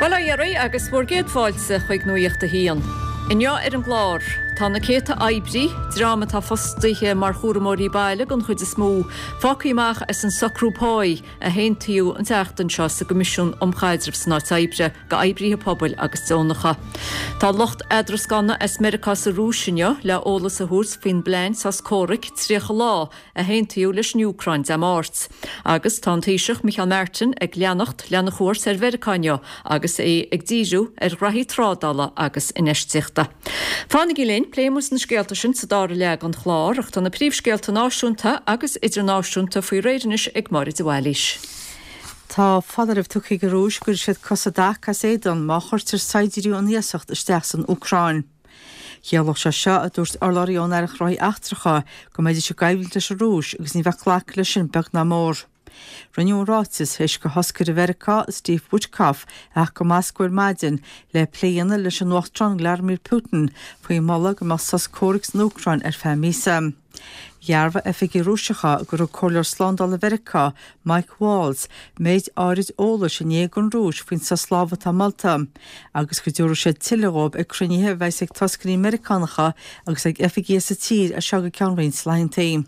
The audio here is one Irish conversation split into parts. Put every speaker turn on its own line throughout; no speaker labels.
Bail ó Dhia oraibh agus bhur gcéad fáilte chuig Nuacht a hAon. Inniu ar an gclár, tá na céadta oibrí, dream atá fostaithe mar chúramóirí baile den chuid is mó, fágtha amach as an socrú páí a haontaíodh an tseachtain seo sa gCoimisiún um Chaidreamh san Áit Oibre do oibríthe pobail agus deonacha. Tá lucht eadrascána as Meiriceá sa Rúis inniu le eolas a thabhairt faoin bplean sos comhraic 30 lá a haontaíodh leis an Úcráin Dé Máirt. Agus tá an Taoiseach Micheál Martin ag leanacht lena chuairt ar Mheiriceá inniu agus é ag díriú ar ghraithí trádála agus infheistíochta. Fanaigí linn, pléifidh muid na scéalta sin sa dara leath den chlár, ach tá na príomhscéalta náisiúnta agus idirnáisiúnta faoi réir anois ag Máire de Bhailís.
Tá foláireamh tugtha ag an Rúis go gcuirfidh siad cosa i dtaca as éadan má chuirtear saighdiúirí ón iasacht isteach san Úcráin. Chiallódh sé seo, a dúirt urlabhraí ón Aireacht Gnóthaí Eachtracha, go mbeidís i gcoimhlint leis an Rúis agus ní bheadh glactha leis sin beag ná mór. Rinneadh an ráiteas théis do thoscaire Mheiriceá, Steve Witkoff, a theacht go Moscó ar maidin le plé a dhéanamh leis an Uachtarán Vladimir Putin faoin moladh go mbeadh sos comhraic san Úcráin ar feadh míosa. Dhearbhaigh oifigigh Rúiseacha gur thug Comhairleoir Slándála Mheiriceá, Mike Waltz, méid áirid eolais inné don Rúis faoin sos lámhaigh atá molta, agus go dtabharfaidh siad tuilleadh dhóibh ag cruinnithe a bheas ag toscairí Meiriceánacha agus ag oifigigh sa tír as seo go ceann roinnt laethantaí.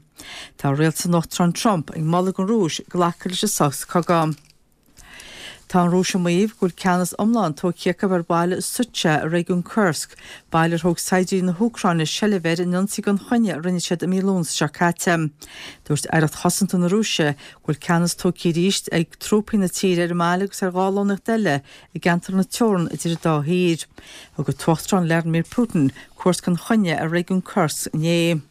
Tá rialtas an Uachtaráin Trump ag moladh don Rúis glacadh leis an sos cogaidh. Tá an Rúis ag maíomh go bhfuil ceannas iomlán tógtha acu ar bhaile Sudzha i réigiún Kursk, baile ar thóg saighdiúirí na hÚcráine seilbh air in ionsaí gan choinne a rinne siad i mí Lúnasa seo caite. Dúirt Aireacht Chosanta na Rúise go bhfuil ceannas tógtha arís ag trúpaí na tíre ar an mbaile agus ar 2 lonnaíocht eile i gceantar na teorann idir an dá thír. Thug an tUachtarán Vladimir Putin cuairt gan choinne ar réigiún Kursk inné.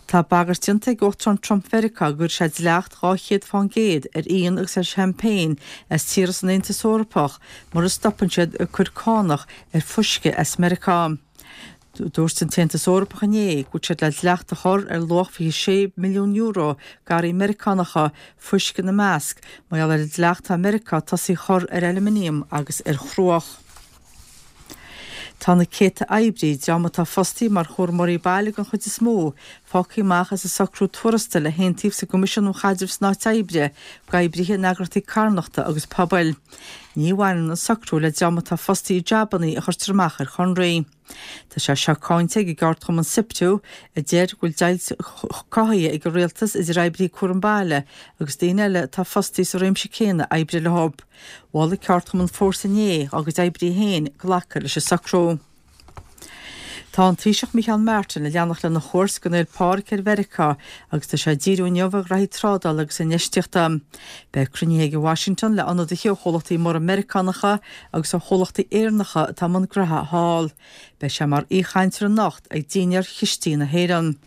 Tá bagairt déanta ag Uachtarán Trump Mheiriceá go gcuirfidh sé dleacht 200 fán gcéad ar fhíon agus ar champagne as tíortha san Aontas Eorpach mura stopann siad ag cur cánach ar fuisce as Meiriceá. Dúirt an tAontas Eorpach inné go bhfuil siad le dleacht a chur ar luach €26 milliún d'earraí Meiriceánacha, fuisce ina measc, mar gheall ar an dleacht atá Meiriceá tosaithe a chur ar aluminium agus ar chruach. Tá na céadta oibrí, dream atá fostaithe mar chúramóirí baile den chuid is mó, fágtha amach as an socrú tuarastail a haontaíodh sa gCoimisiún um Chaidreamh san Áit Oibre d'oibrithe in eagraíochtaí carthanachta agus pobail. Ní bhaineann an socrú le dream atá fostaithe i jabannaí a chuirtear amach ar chonraí. Tá sé seo cáinte ag an gceardchumann Siptu, a deir go bhfuil deighilt cothaithe ag an rialtas idir oibrithe cúram baile agus daoine eile atá fostaithe sa réimse céanna oibre leo. Mhol an ceardchumann Fórsa inné dá gcuid oibrithe féin glacadh leis an socrú. Tá an Taoiseach Micheál Martin ag leanacht lena chuairt don Fhéile Pádraig ar Mheiriceá agus tá sé ag díriú inniu ar ghraithí trádála agus infheistíochta. Beidh cruinnithe aige i Washington le ionadaithe ó chomhlachtaí móra Meiriceánacha agus ó chomhlachtaí Éireannacha atá i mbun graithe thall. Beidh sé mar aoichainteoir anocht ag dinnéar Chistí na hÉireann.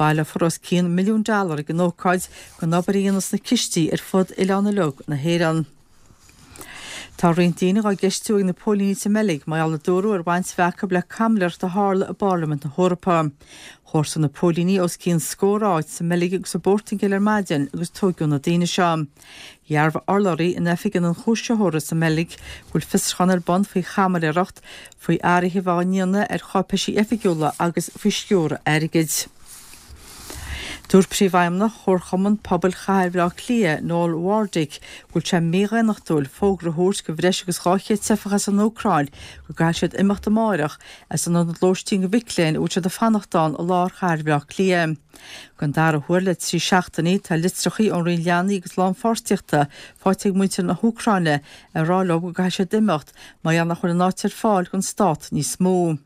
Baileofar os cionn milliún dollar ag an ócáid don obair a dhéanas na cistí ar fud oileán uilig na hÉireann. Tá roinnt daoine dhá gceistiú ag na póilíní sa mBeilg mar gheall a dúradh ar bhaint a bheith acu le caimiléireacht a tharla i bParlaimint na hEorpa. Chuartaigh na póilíní os cionn scór áit sa mBeilg agus sa bPortaingéil ar maidin agus tóigeadh na daoine seo. Dhearbhaigh urlabhraí in oifig an ionchúisitheora sa mBeilg go bhfuil fiosrúchán ar bun faoi chaimiléireacht, faoi athruithe a bheith á ndéanamh ar cháipéisí oifigiúla agus faoi sciúradh airgid. Dúirt Príomhfheidhmeannach Chomharchumann Pobail Chathair Bhaile Átha Cliath, Noel Wardick, go bhfuil sé mídhaonnachtúil fógra a thabhairt do bhreis agus 200 teifeach as an Úcráin go gcaithfidh siad imeacht amáireach as an ionad lóistín do mhic léinn a bhfuil siad ag fanacht ann i lár chathair Bhaile Átha Cliath. Don dara huair le 3 seachtainí tá litreachaí ón Roinn Leanaí agus Lánpháirtíochta faighte ag muintir na hÚcráine ag rá leo go gcaithfidh siad imeacht mar gheall nach bhfuil an áit ar fáil don stát níos mó.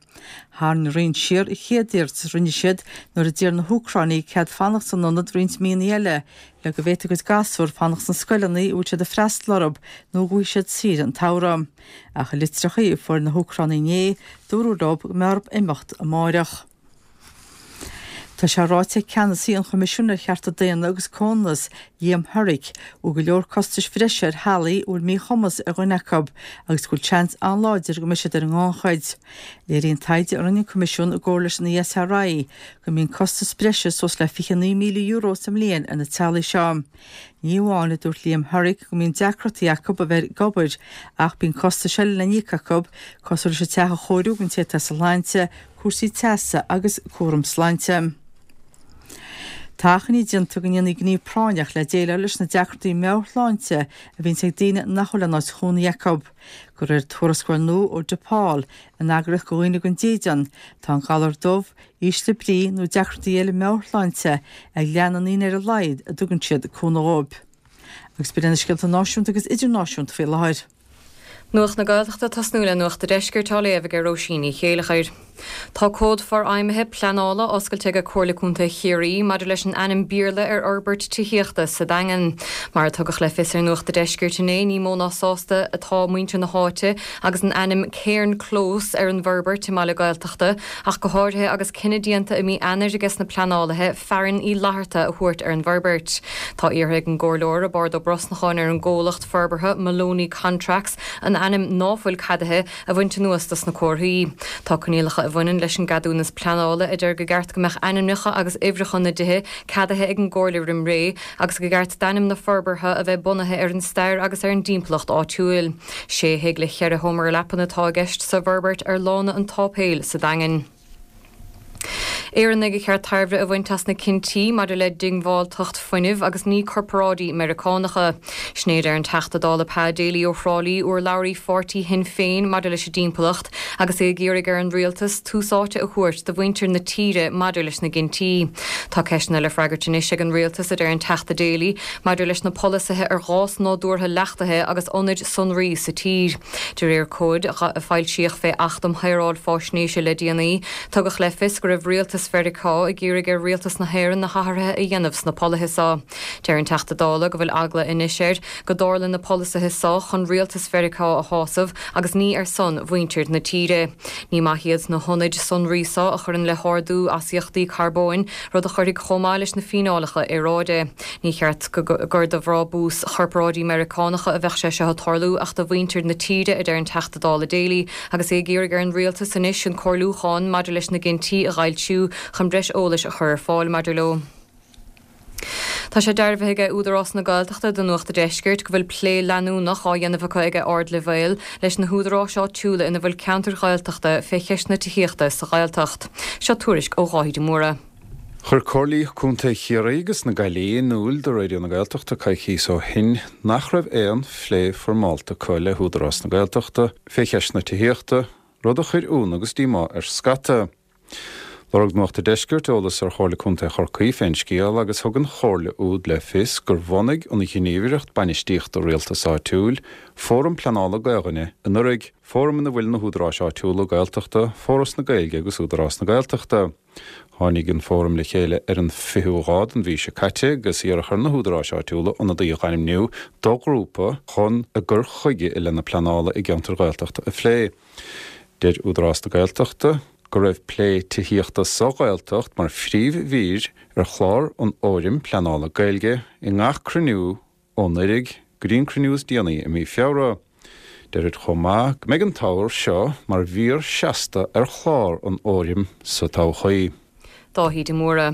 Tharraing an Roinn siar a chéad iarratas a rinne siad nuair a d'iarr na hÚcránaigh cead fanacht san ionad roinnt míonna eile le go bhféadfadh a gcuid gasúr fanacht sna scoileanna a bhfuil siad ag freastal orthu nó go bhfaighidh siad saoire an tsamhraidh. Ach i litreachaí a fuair na hÚcránaigh inné, dúradh leo go mbeadh orthu imeacht amáireach. Tá sé ráite ag ceannasaí an Choimisiúin ar Chearta Daonna agus Comhionannas, Liam Herrick, go bhfuil go leor costais bhreise ar theaghlaigh a bhfuil míchumas ar dhuine acu agus go bhfuil seans an-láidir go mbeidh siad ar an ngannchuid. Léiríonn taighde a rinne an Coimisiún i gcomhar leis an ESRI go mbíonn costas breise suas le €29,000 sa mbliain ar na teaghlaigh seo. Ní amháin, a dúirt Liam Herrick, go mbíonn deacrachtaí acu a bheith ag obair ach bíonn costais eile le n-íoc acu, cosúil leis an teach a chóiriú don té atá easláinte, cúrsaí teasa agus cúram sláinte. Tá achainí déanta go ndéanfaí gníomh práinneach le déileáil leis na deacrachtaí meabhairshláinte a bhíonns ag daoine nach bhfuil aon áit chónaí acu. De réir tuarascáil nua ó DePaul, an eagraíocht do dhaoine gan dídean, tá an galar dubh, ísle brí nó deacrachtaí eile meabhairshláinte ag leath na ndaoine ar a laghad a dtugann siad cúnamh dóibh. Agus b'in iad na scéalta náisiúnta agus idirnáisiúnta faoi láthair.
Nuacht na Gaeltachta ag tosnú le Nuacht a' Deiscirt á léamh ag Róisín Ní Chéileachair. Tá comhad forfheidhmithe pleanála oscailte ag Comhairle Contae Chiarraí maidir leis an ainm Béarla ar fhorbairt tithíochta sa Daingean. Mar a tugadh le fios ar Nuacht a' Deiscirt inné, ní mó ná sásta atá muintir na háite agus an ainm Cairn Close ar an bhforbairt i mbaile Gaeltachta, ach go háirithe agus cinneadh déanta i mí Eanáir ages na pleanálaithe Fearann Uí Fhlatharta a thabhairt ar an bhforbairt. Tá iarrtha ag an gComhairleoir Roibeárd Ó Brosnacháin ar an gcomhlacht forbartha Moloney Contracts an ainm ná fuil ceadaithe a bhaint anuas dos na comharthaí. Tá coinníollacha a bhaineann leis an gceadúnas pleanála a deir go gceart go mbeadh ainmneacha agus uimhreacha na dtithe ceadaithe ag an gComhairle roim ré agus go gceart d'ainm na forbartha a bheith bunaithe ar an stair agus ar an dtimpeallacht áitiúil. Sé thigh le cheithre sheomra leapan atá i gceist sa bhforbairt ar Lána an tSáipéil sa Daingean. Éireannaigh a cheart tairbhe a bhaint as na cinntí maidir le diongbháilteacht fuinnimh agus ní corparáidí Meiriceánacha. Sin é a deir an Teachta Dála Pa Daly ó Thrá Lí, urlabhraí pháirtí Shinn Féin maidir leis an dtimpeallacht, agus é ag iarraidh ar an rialtas tús áite a thabhairt do mhuintir na tíre maidir leis na gcinntí. Tá ceisteanna le freagairt anois ag an rialtas, a deir an Teachta Daly, maidir leis na polasaithe ar ghás nádúrtha leachtaithe agus ionaid sonraí sa tír. De réir comhaid a foilsíodh fé Acht um Shaoráil Fáisnéise le déanaí, tugadh le fios go raibh rialtas Mheiriceá ag iarraidh ar rialtas na hÉireann na hathruithe a dhéanamh sna polaithe so. Deir an Teachta Dála go bhfuil eagla anois air go dtarla na polasaithe so chun rialtas Mheiriceá a shásamh agus ní ar son mhuintir na tíre. Ní maith iad na hionaid sonraí so a chuireann le hardú astaíochtaí carbóin, rud a chuirfidh chomh maith leis na fíneálacha aeráide. Ní cheart gur do bhrábús chorparáidí Meiriceánacha a bheadh sé seo ag tarlú ach do mhuintir na tíre, a deir an Teachta Dála Daly agus é ag iarraidh ar an rialtas anois an comhairliúchán maidir leis na gcinntí a dh'fhoilsiú chun breis eolais a chur ar fáil maidir leo. Tá sé dearbhaithe ag Údarás na Gaeltachta do Nuacht a' Deiscirt go bhfuil plé leanúnach á dhéanamh acu ag ardleibhéal leis na húdaráis áitiúla ina bhfuil ceantair Ghaeltachta fé cheist na tithíochta sa Ghaeltacht. Seo tuairisc ó Dháithí de Mórdha.
Chuir Comhairlí Contae Chiarraí agus na Gaillimhe in iúl do Raidió na Gaeltachta coicíos ó shin nach raibh aon phlé foirmeálta acu le hÚdarás na Gaeltachta fé cheist na tithíochta, rud a chuir ionadh agus díomá ar scata. Lorg Nuacht a' Deiscirt eolas ar Chomhairle Contae Chorcaí fén scéal agus thug an chomhairle úd le fios gur bhunaigh an Ghníomhaireacht Bainistíochta Rialtais Áitiúil Fóram Pleanála Gaoluinne anuraidh, fóram ina bhfuil na húdaráis áitiúla Gaeltachta, Foras na Gaeilge agus Údarás na Gaeltachta. Tháinig an fóram le chéile ar an 20ú lá den mhí seo caite agus iarradh ar na húdaráis áitiúla ionadaí a dh'ainmniú do ghrúpa chun a gcur chuige i leith na pleanála i gceantair Ghaeltachta a phlé. Deir Údarás na Gaeltachta go raibh plé tithíochta sa Ghaeltacht mar phríomh-mhír ar chlár an Fhóraim Pleanála Gaeilge i ngach cruinniú ó anuraidh go dtí an cruinniú is déanaí i mí Feabhra. Deirid chomh maith go mbeidh an t-ábhar seo mar mhír seasta ar chlár an Fhóraim sa todhchaí.
Dáithí de Mórdha.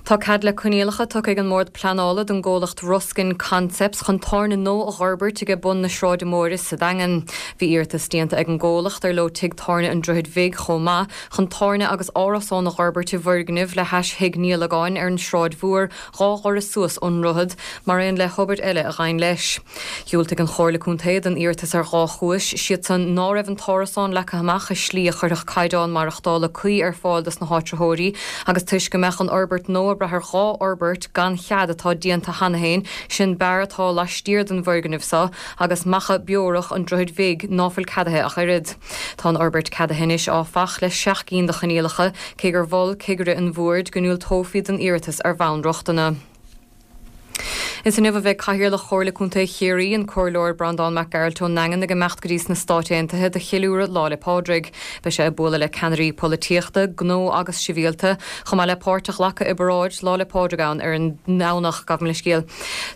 Tá cead le coinníollacha tugtha ag an mBord Pleanála don gcomhlacht Ruskin Concepts chun tábhairne nua a dh'fhorbairt aige bun na Sráide Móire sa Daingean. Bhí iarratas déanta ag an gcomhlacht, ar leo Tigh Tábhairne an Droichid Bhig chomh maith, chun tábhairne agus árasán a dh'fhorbairt i bhfoirgneamh le hais Thigh Niallagáin ar an Sráid Mhór 2 dhoras suas ón ndroichead, mar aon le hobair eile a ghabhann leis. Dhiúltaigh an Chomhairle Contae don iarratas ar dhá chúis, siad san ná raibh an t-árasán leagtha amach i slí a chuirfeadh caighdeán maireachtála cuí ar fáil dos na háitritheoirí agus toisc go mbeadh an fhorbairt nua ag brath ar dhá fhorbairt gan chead atá déanta cheana féin, sin beár atá laistiar den bhfoirgneamh so agus Macha Biorach an Droichid Bhig ná fuil ceadaithe ach oiread. Tá an fhorbairt ceadaithe anois, áfach, le seacht gcinn de choinníollacha, cé gur mhol cigire an bhoird go ndiúltófaí don iarratas ar bhonn rochtana. Is inniu a bheidh Cathaoirleach Chomhairle Contae Chiarraí, an Comhairleoir Breandán Mac Gearailt ón nDaingean ag imeacht go dtí sna Stáit Aontaithe do cheiliúradh Lá 'le Pádraig. Beidh sé ag bualadh le ceannairí polaitíochta, gnó agus sibhialta, chomh maith le páirt a ghlacadh i bparáid Lá 'le Pádraig ann ar an nDomhnach. Gabh mo leithscéal.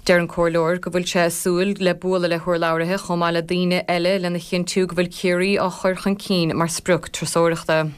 Deir an Comhairleoir go bhfuil sé ag súil le bualadh le hurlabhraithe chomh maith le daoine eile lena chinntiú go bhfuil Ciarraí á chur chun cinn mar sprioc turasóireachta.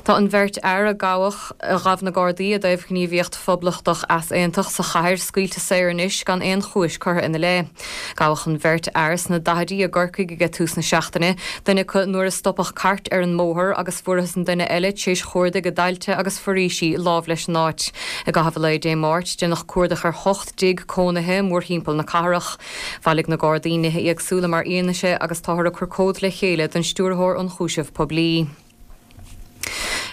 Tá an bheirt fhear a gabhadh, a ghabh na Gardaí i dtaobh ghníomhaíocht phoblachtach easaontach sa chathair scaoilte saor anois gan aon chúis curtha ina leith. Gabhadh an bheirt fhear sna daichidí i gCorcaigh ag tús na seachtaine, duine acu nuair a stopadh cairt ar an mbóthar agus fuarthas an duine eile tar éis chuardaigh i dtailte agus foraoisí láimh leis an áit. I gcaitheamh an lae Dé Máirt, déanadh cuardach ar 8 dtigh cónaithe mórthimpeall na cathrach. Bhailigh na Gardaí nithe éagsúla mar fhianaise agus táthar ag cur comhad le chéile don Stiúrthóir Ionchúiseamh Poiblí.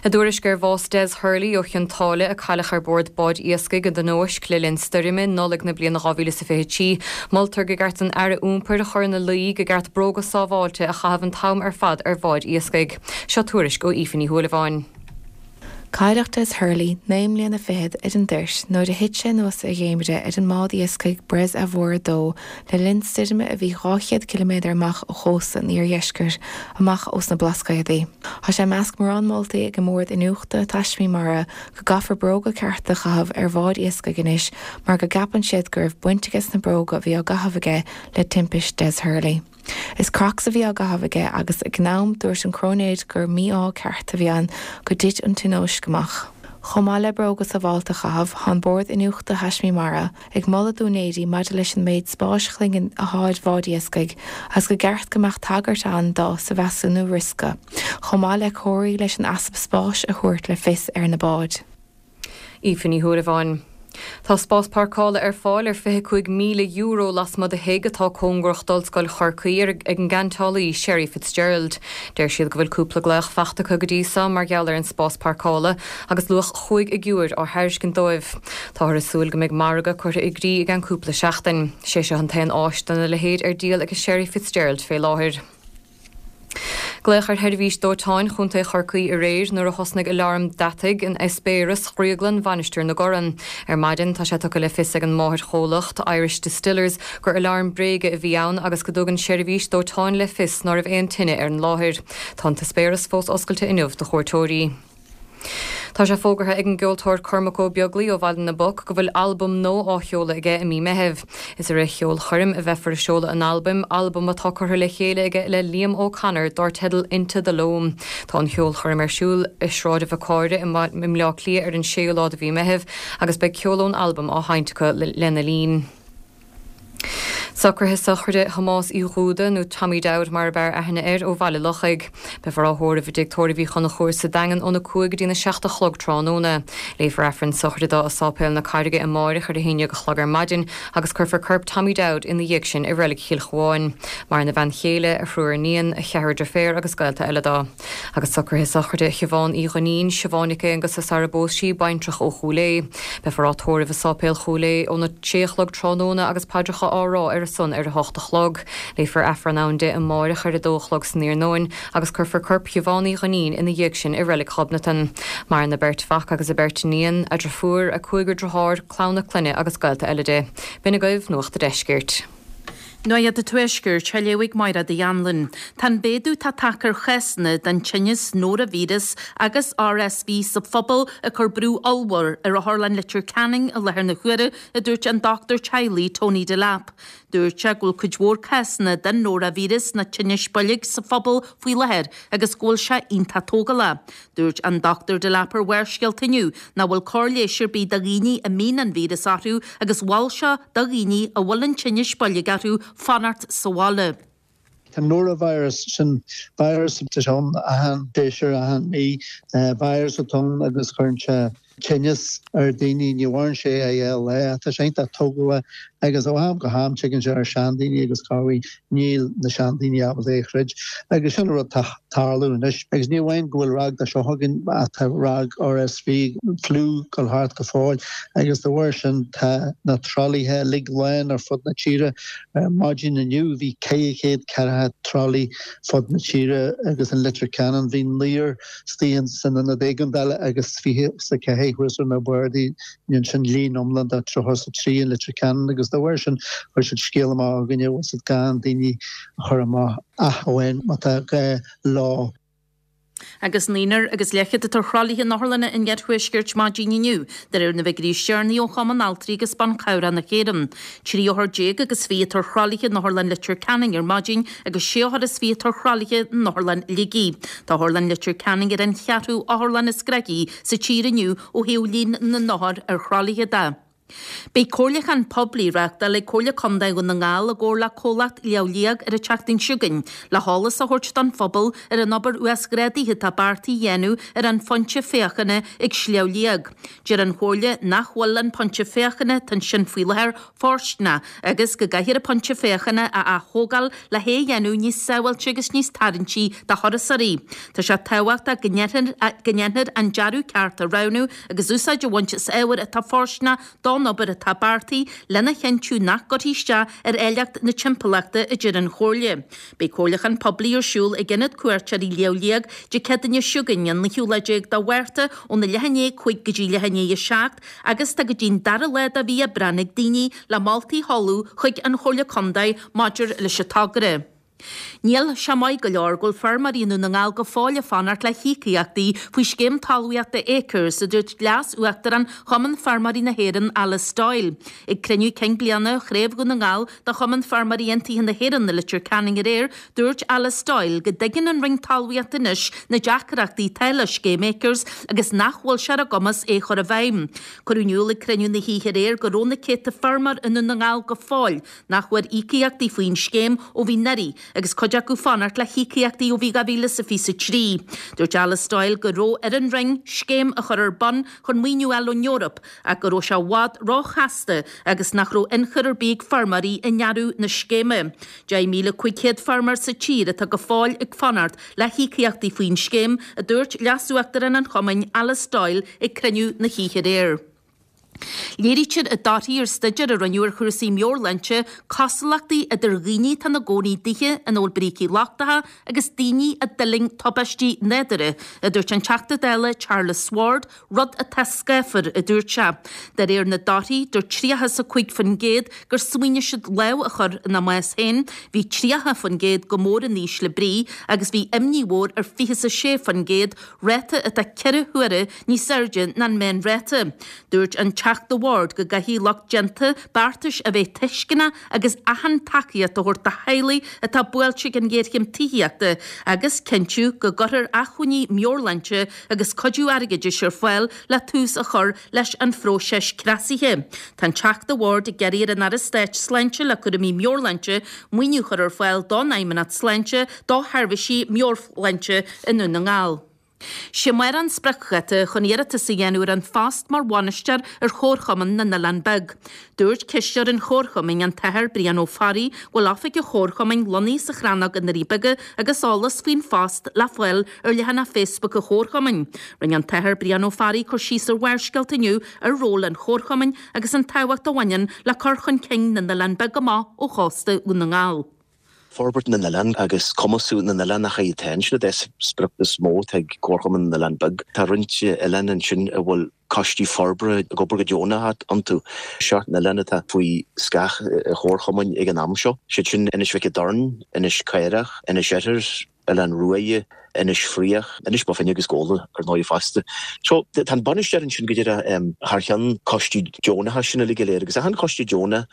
I dtuairisc ar bhás Des Hurley ó Chionn tSáile a cailleadh ar bord báid iascaigh i dtionóisc le linn stoirme, Nollaig na bliana 2023, moltar gur ceart don Aire Iompair a chur ina luí gur ceart bróga sábháilte a chaitheamh an t-am ar fad ar bháid iascaigh. Seo tuairisc ó Aoife Ní Shúilleabháin.
Cailleadh Des Hurley, 29 mbliana ar an dtoirt nuair a thit sé anuas a dhéimire ar an mbád iascaigh Breizh Avour 2 le linn stoirme a bhí 200 ciliméadar amach ó chósta an iardheiscirt, amach ós na Blascaodaí. Tá sé i measc mórán moltaí ag an mBord Iniúchta Taismí Mara go gcaithfear bróga cearta a chaitheamh ar bháid iascaigh anois mar go gceapann siad go raibh baint aige sna bróga a bhí á gcaitheamh aige le timpist Des Hurley. Is Crocs a bhí á gcaitheamh aige agus ag an am dúirt an cróinéir gur mí-ádh ceart a bhí ann go dtit an tionóisc amach. Chomh maith le bróga sábháilte a chaitheamh, tá an Bord Iniúchta Thaismí Mara ag moladh d'úinéirí maidir leis an méid spáis chloigne athá ar bháid iascaigh agus go gceart go mbeadh tagairt ann dó sa mheasúnú riosca, chomh maith le comharthaí leis an easpa spáis a thabhairt le fios ar na báid.
Aoife Ní Shúilleabháin. Tá spás páirceála ar fáil ar €25,000 lasmuigh de thigh atá cóngarach d'Ollscoil Chorcaí ag an gceantálaí Sherry Fitzgerald. Deir siad go bhfuil cúpla glaoch fachta acu go dtí seo mar gheall ar an spás páirceála agus luach chúig fhigiúir á thairiscint dóibh. Táthar ag súil go mbeidh margadh curtha i gcrích i gceann cúpla seachtain. Sé seo an t-aon áis dena leithéid ar díol ag Sherry Fitzgerald fé láthair. Glaodh ar sheirbhís dóiteáin Chontae Chorcaí aréir nuair a thosnaigh aláram deataigh in eispéireas dhrioglann Mhainistir na gCorran. Ar maidin, tá sé tugtha le fios ag an máthairchomhlacht, Irish Distillers, gur aláram bréige a bhí ann agus go dtugann seirbhís dóiteáin le fios ná raibh aon tine ar an láthair. Tá an t-eispéireas fós oscailte inniu do chuairteoirí. Tá sé fógartha ag an gceoltóir Cormac Ó Beaglaoi ó Bhaile na bPoc go bhfuil albam nua á sheoladh aige i mí Meithimh. Is i rith cheolchoirm a bheifear ag seoladh an albaim, albam atá curtha le chéile aige le Liam O'Connor dár teideal Into the Loam. Tá an cheolchoirm ar siúl i Sráid an Bhiocaire i mBleá Cliath ar an séú lá de mhí Meithimh agus beidh ceol ón albam á sheinnt acu lena linn. Socruithe sochraide Thomáis Uí Dhúda, nó Tommy Dowd mar ab fhearr aithne air, ó Bhaile Lochaigh. Beifear á thórramh i dTigh Tórraimh Uí Chonchúir sa Daingean óna 5 go dtína 7 a chlog tráthnóna. Léifear Aifreann sochraide dó i Sáipéal na Carraige amáireach ar a haon dhéag a chlog ar maidin agus cuirfear corp Tommy Dowd ina dhiaidh sin i Reilig Chill Chuáin. Maireann a bhean chéile, a thriúr iníon, a cheathrar deirféar agus gaolta eile dó. Agus socruithe sochraide Shiobhán Uí Dhuinnín, Siobhán Nic Aonghusa sara bpós sí, baintreach ó Chúil Aodha. Beifear á tórramh i Sáipéal Chúil Aodha óna sé a chlog tráthnóna agus paidreacha á rá ar a son ar a hocht a chlog. Léifear Aifreann ann di amáireach ar a dó a chlog san iarnóin agus cuirfear corp Shiobhán Uí Dhuinnín ina dhiaidh sin i Reilig Ghobnatan. Maireann a beirt mhac agus a beirt iníon, a driofúr, a cúigear driotháir, clann a clainne agus gaolta eile di. B'in agaibh Nuacht a' Deiscirt.
Nuacht an Tuaiscirt á léamh ag Máire Uí Anluain. Tá an mhéadú atá tagtha ar chásanna den tinneas nóravíreas agus RSV sa phobal ag cur brú ollmhór ar Otharlann Leitir Ceanainn i láthair na huaire, a dúirt an dochtúir teaghlaigh Tony Delap. Dúirt sé go bhfuil cuid mhór cásanna den nóravíreas nó tinneas boilg sa phobal faoi láthair agus go bhfuil sé iontach tógálach. Dúirt an Dr Delap ar Bharrscéalta inniu nach bhfuil cóir leighis ar bith do dhaoine a mbíonn an víreas orthu agus mhol sé do dhaoine a bhfuil an tinneas boilg orthu fanacht sa bhaile.
Tá norovirus, sin virus atá ann achan séasúr, achan mí, virus atá ann agus cuireann sé tinneas ar daoine, ní mhaireann sé ach dhá lá, tá sé iontach tógálach agus ó am go ham tigeann sé ar seandaoine agus corruair níl na seandaoine ábalta é a throid agus sin an rud tá tarlú anois. Agus ní amháin go bhfuil ráig de seo againn ach tá ráig RSV, fliú, dul thart go fóill agus de bharr sin tá na tralaithe uilig lán ar fud na tíre. Ar maidin inniu bhí 400 ceathracha tralaí fud na tíre agus in Leitir Ceanainn bhí naonúr istigh san ionad éigeandála agus 24 thuas ar na bardaí ansin líon iomlán de 33 in Leitir Ceanainn agus dá bharr sin chuir siad scéal amach chugainne bhfuil siad gan daoine a chur amach ach amháin má tá gá leo.
Agus naonúr agus leathchéad atá ar thralaithe in otharlanna an iarthuaiscirt maidin inniu, de réir na bhfigiúirí is deireanaí ó Chumann Altraí agus Ban Cabhrach na hÉireann. 13 othar agus 20 atá ar thralaithe in Otharlann Leitir Ceanainn ar maidin agus sé othar is 20 atá ar thralaithe in Otharlann Shligigh. Tá Otharlann Leitir Ceanainn ar an cheathrú otharlann is gnoithí sa tír inniu ó thaobh líon na n-othar ar thralaithe de. Beidh comhairliúchán poiblí á reáchtáil ag Comhairle Contae Dhún na nGall i gcomhar le comhlacht Shliabh Liag ar an tseachtain seo chugainn le heolas a thabhairt don phobal ar an obair uasghrádaithe atá beartaithe a dhéanamh ar an phointe féachana ag Sliabh Liag. Deir an Chomhairle nach bhfuil an pointe féachana atá ansin faoi láthair fóirsteanach agus go gcaithfear an pointe féachana a ath-thógáil le hé a dhéanamh níos sábháilte agus níos tarraingtí do thurasóirí. Tá sé tábhachtach go ndéanfar an dearadh ceart a roghnú agus úsáid a bhaint as ábhair atá fóirsteanach don obair atá beartaithe lena chinntiú nach gcuirfí isteach ar áilleacht na timpeallachta, a deir an Chomhairle. Beidh comhairliúchán poiblí ar siúl ag Ionad Cuairteoirí Shliabh Liag Dé Céadaoine seo chugainn, an naoú lá déag de Mhárta, óna leath i ndiaidh 5 go dtí leath i ndiaidh 7 agus tá go dtí'n dara lá de mhí Aibreán ag daoine le moltaí a sheoladh chuig an Chomhairle Contae maidir leis an togra. Níl sé maith go leor go bhfuil feirmeoirí i nDún na nGall go fóill ag fanacht le híocaíochtaí faoi scéim talmhaíochta Acres, a dúirt Leas-Uachtarán Chumann Feirmeoirí na hÉireann, Alice Doyle. Ag cruinniú cinn bliana Chraobh Dhún na nGall de Chumann Feirmeoirí Aontaithe na hÉireann i Leitir Ceanainn aréir, dúirt Alice Doyle go dtuigeann an Roinn Talmhaíochta anois na deacrachtaí atá le scéim Acres agus nach bhfuil sé ar a gcumas é a chur i bhfeidhm. Cuireadh in iúl ag cruinniú na hoíche aréir go raibh na céadta feirmeoir i nDún na nGall go fóill nach bhfuair íocaíochtaí faoin scéim ó bhí anuraidh agus cuid acu fanacht le híocaíochtaí ó bhí 2023. Dúirt Alice Doyle go raibh ar an Roinn scéim a chur ar bun chun maoiniú a fháil ón Eoraip ach go raibh sé i bhfad róchasta agus nach raibh ionchur ar bith ag feirmeoirí i ndearadh na scéime. 10,500 feirmeoir sa tír atá go fóill ag fanacht le híocaíochtaí faoin scéim, a dúirt Leas-Uachtarán an Chumainn, Alice Doyle ag cruinniú na hoíche aréir. Léirítear i dtorthaí ar staidéar a rinneadh ar chúrsaí meabhairshláinte cosúlachtaí idir dhaoine atá ina gcónaí i dtithe ina bhfuil brící lochtacha agus daoine a d'fhulaing tubaistí nádúrtha, a dúirt an Teachta Dála Charles Ward, rud atá scáfar, a dúirt sé. De réir na dtorthaí, dúirt 35% gur smaoinigh siad lámh a chur ina mbás féin, bhí 30% go mór in ísle brí agus bhí imní mhór ar 26% ráta atá 4 huaire níos airde ná an meánráta. Dúirt an Teachta Ward go gcaithfidh lucht déanta beartais a bheith tuisceanach agus achan tacaíocht a thabhairt do theaghlaigh atá buailte ag an ghéarchéim tithíochta agus cinntiú go gcuirfear acmhainní meabhairshláinte agus cuidiú airgeadais ar fáil le tús a chur leis an phróiseas cneasaithe. Tá an Teachta Ward ag iarraidh ar an Aire Stáit Sláinte le cúraimí meabhairshláinte maoiniú a chur ar fáil don Fheidhmeannacht Sláinte do sheirbhísí meabhairshláinte i nDún na nGall. Sé amárach an spriocdháta chun iarratas a dhéanamh ar an phost mar bhainisteoir ar Chomharchumann na nOileán Beag. Dúirt cisteoir an Chomharchumainn, an tAthair Brian Ó Fearraigh, go bhfuil oifig an Chomharchumainn lonnaithe sa Chrannóg i nDoirí Beaga agus eolas faoin phost le fáil ar leathanach Facebook an Chomharchumainn. Rinne an tAthair Brian Ó Fearraigh cur síos ar Bharrscéalta inniu ar ról an Chomharchumainn agus an tábhacht a bhaineann le cur chun cinn na n-oileán beag amach ó chósta Dhún na nGall.
Forbairt na n-oileán agus cumasú na n-oileán ach atá ansin é sprioc is mó atá ag Comharchumann na nOileán Beag. Tá roinnt oileán ansin a bhfuil coistí forbartha ag obair go deonach iontu. 7 n-oileán atá faoi scáth an Chomharchumainn ag an am seo, siad sin Inis Mhic an Doirn, Inis Caorach, Inis Oirthir, Oileán Ruaidhe, Inis Fraoich, Inis Bó Finne agus Gabhla ar ndóigh fosta. So, tá an bainisteoir ansin go díreach thar cheann coistí deonacha sin uilig go léir agus achan choiste deonach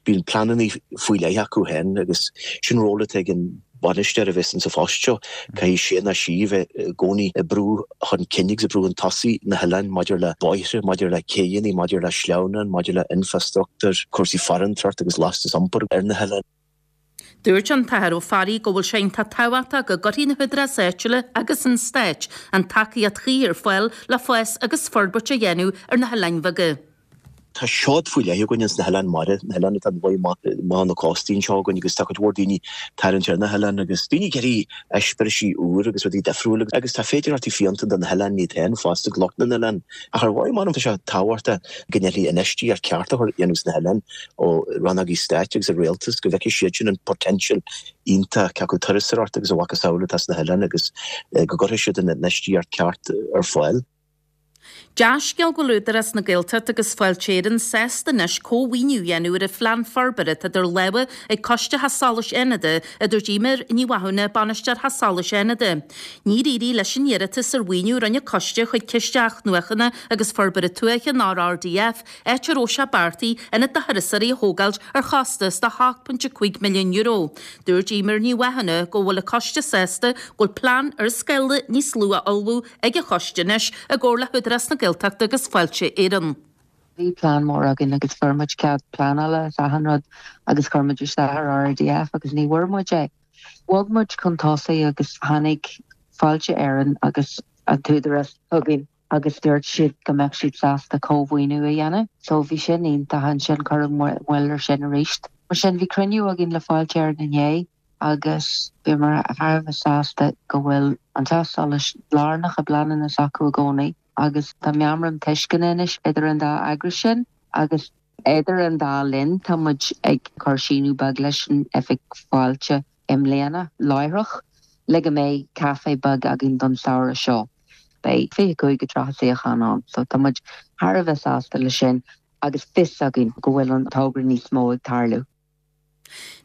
bíonn pleananna faoi leith acu féin agus sin ról atá ag an bhainisteoir a bheas insa phost seo. Caithfidh sé nó sí a bheith i gcónaí ag brú chun cinn agus ag brú chun tosaigh na hoileáin maidir le bóithre, maidir le céidheanna, maidir le sleamhnáin, maidir le infreastruchtúr, cúrsaí farantóireachta agus lastas iompair ar na hoileáin.
Dúirt an tAthair Ó Fearraigh go bhfuil sé iontach tábhachtach go gcuirfidh na húdaráis áitiúla agus an Stáit an tacaíocht chuí ar fáil le fás agus forbairt a dhéanamh ar na hoileáin bheaga.
Tá seod faoi leith againn ins na hoileáin mara, na hoileáin atá amuigh amach na cóstaí anseo againn agus tá cuid mhór daoine tarraingt ar na hoileáin agus daoine ag iarraidh eispéirisí úr agus rudaí difriúil agus tá féidearthachtaí fiúntacha do na hoileáin iad féin fosta, lucht na n-oileán. Ach ar mhaith, m'anam, tá sé tábhachtach go ndéanfaí infheistíocht ceart a chur dhéanamh sna hoileáin ó rannógaí stáit agus an rialtas, go bhfeicfidh siad sin an potential iontach cé acu turasóireacht agus a mhacasamhail atá sna hoileáin agus go gcuirfidh siad an infheistíocht ceart ar fáil.
Dea-scéal go bhfuil Údarás na Gaeltachta agus Fáilte Éireann sásta anois cómhaoiniú a dhéanamh ar an phlean forbartha atá idir lámha ag Coiste Theach Solais Fhánada, a dúirt Eimear Ní Mhathúna, Bainisteoir Theach Solais Fhánada. Níor éirigh leis an iarratas ar mhaoiniú a rinne an Coiste chuig Ciste Athnuachana agus Forbartha Tuaithe, an RRDF, áit a raibh sé beartaithe ionad do thurasóirí a thógáilt ar chostas de €8.5 milliún. Dúirt Eimear Ní Mhathúna go bhfuil an Coiste sásta go bhfuil plean ar scála níos lú á ullmhú ag an Choiste anois i gcomhar le hÚdarás na Gaeltachta agus Fáilte Éireann.
Bhí plean mór againn agus fuair muid cead pleanála is achan rud agus chuir muid isteach ar RRDF agus ní bhfuair muid é. Bhog muid chun tosaigh agus tháinig Fáilte Éireann agus an tÚdarás chugainn agus dúirt siad go mbeadh siad sásta cómhaoiniú a dhéanamh. So bhí sin iontach ansin cuireadh moill ar sin arís. Mar sin bhí cruinniú againn le Fáilte Éireann inné agus bhíomar thar a bheith sásta go bhfuil an teach solais lárnach i bpleananna s'acu i gcónaí agus tá meamram tuisceana anois idir an dá eagras sin agus idir an dá linn tá muid ag cur síneadh beag leis an oifig fáilte i mbliana láithreach le go mbeidh caife beag againn don samhradh seo. Beidh 25-30 suíochán ann so tá muid thar a bheith sásta leis sin agus fios againn go bhfuil an togra níos mó ag tarlú.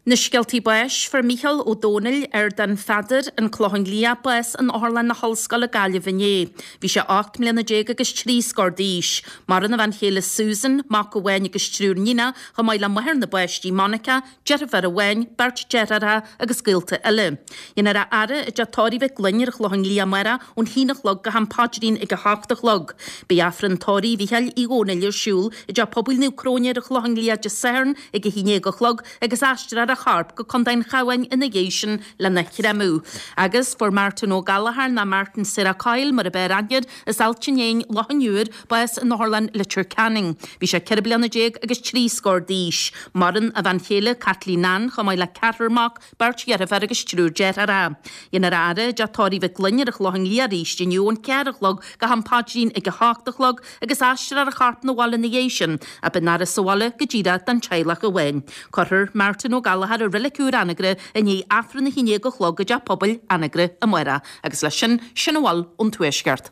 Na scéaltaí báis, Fuair Mícheál Ó Domhnaill, Ardán Pheadair, An Clochán Liath, bás in Otharlann na hOllscoile Gaillimh inné. Bhí sé 18 mbliana agus 3 scór d'aois. Maireann a bhean chéile Susan, mac amháin agus triúr níonach, chomh maith le máthair na bpáistí Monica, deirfiúr amháin, beirt deartháireacha agus gaolta eile. Déanfar a fhaire i dTeach Tórraimh Mhic Gloinn ar an Chlochán Liath amárach ón haon a chlog go ham paidrín ag a hocht a chlog. Beidh Aifreann Tórraimh Mhícheáil Uí Dhomhnaill ar siúl i dTeach Pobail Naomh Cróine ar an Chlochán Liath Dé Sathairn ag a haon déag a chlog agus aistreofar a chorp go Contae an Chabháin ina dhiaidh sin lena chreamadh. Agus fuair Martin Ó Gallchóir nó Martin Sarah Coyle mar ab fhearr aithne air as Ailt an Éin, Loch an Iúir, bás in Otharlann Leitir Ceanainn. Bhí sé 14 bliana agus 3 scór d'aois. Maireann a bhean chéile Caitlín Ann chomh maith le ceathrar mac, beirt dheirféar agus triúr deartháireacha. Déanfar a fhaire i dTeach Tórraimh Mhic Gloinn ar an Chlochán Liath arís inniu ón cheathair a chlog go ham paidrín ag a hocht a chlog agus aistreofar a chorp 'na bhaile ina dhiaidh sin, ach beidh an fhaire sa bhaile go díreach don teaghlach amháin. Cuirfear Martin Ó Gallchóir i Reilig Úr Anagaire i ndiaidh Aifreann a haon déag a chlog i dTeach Pobail Anagaire amárach. Agus leis sin, sin a bhfuil ón Tuaisceart.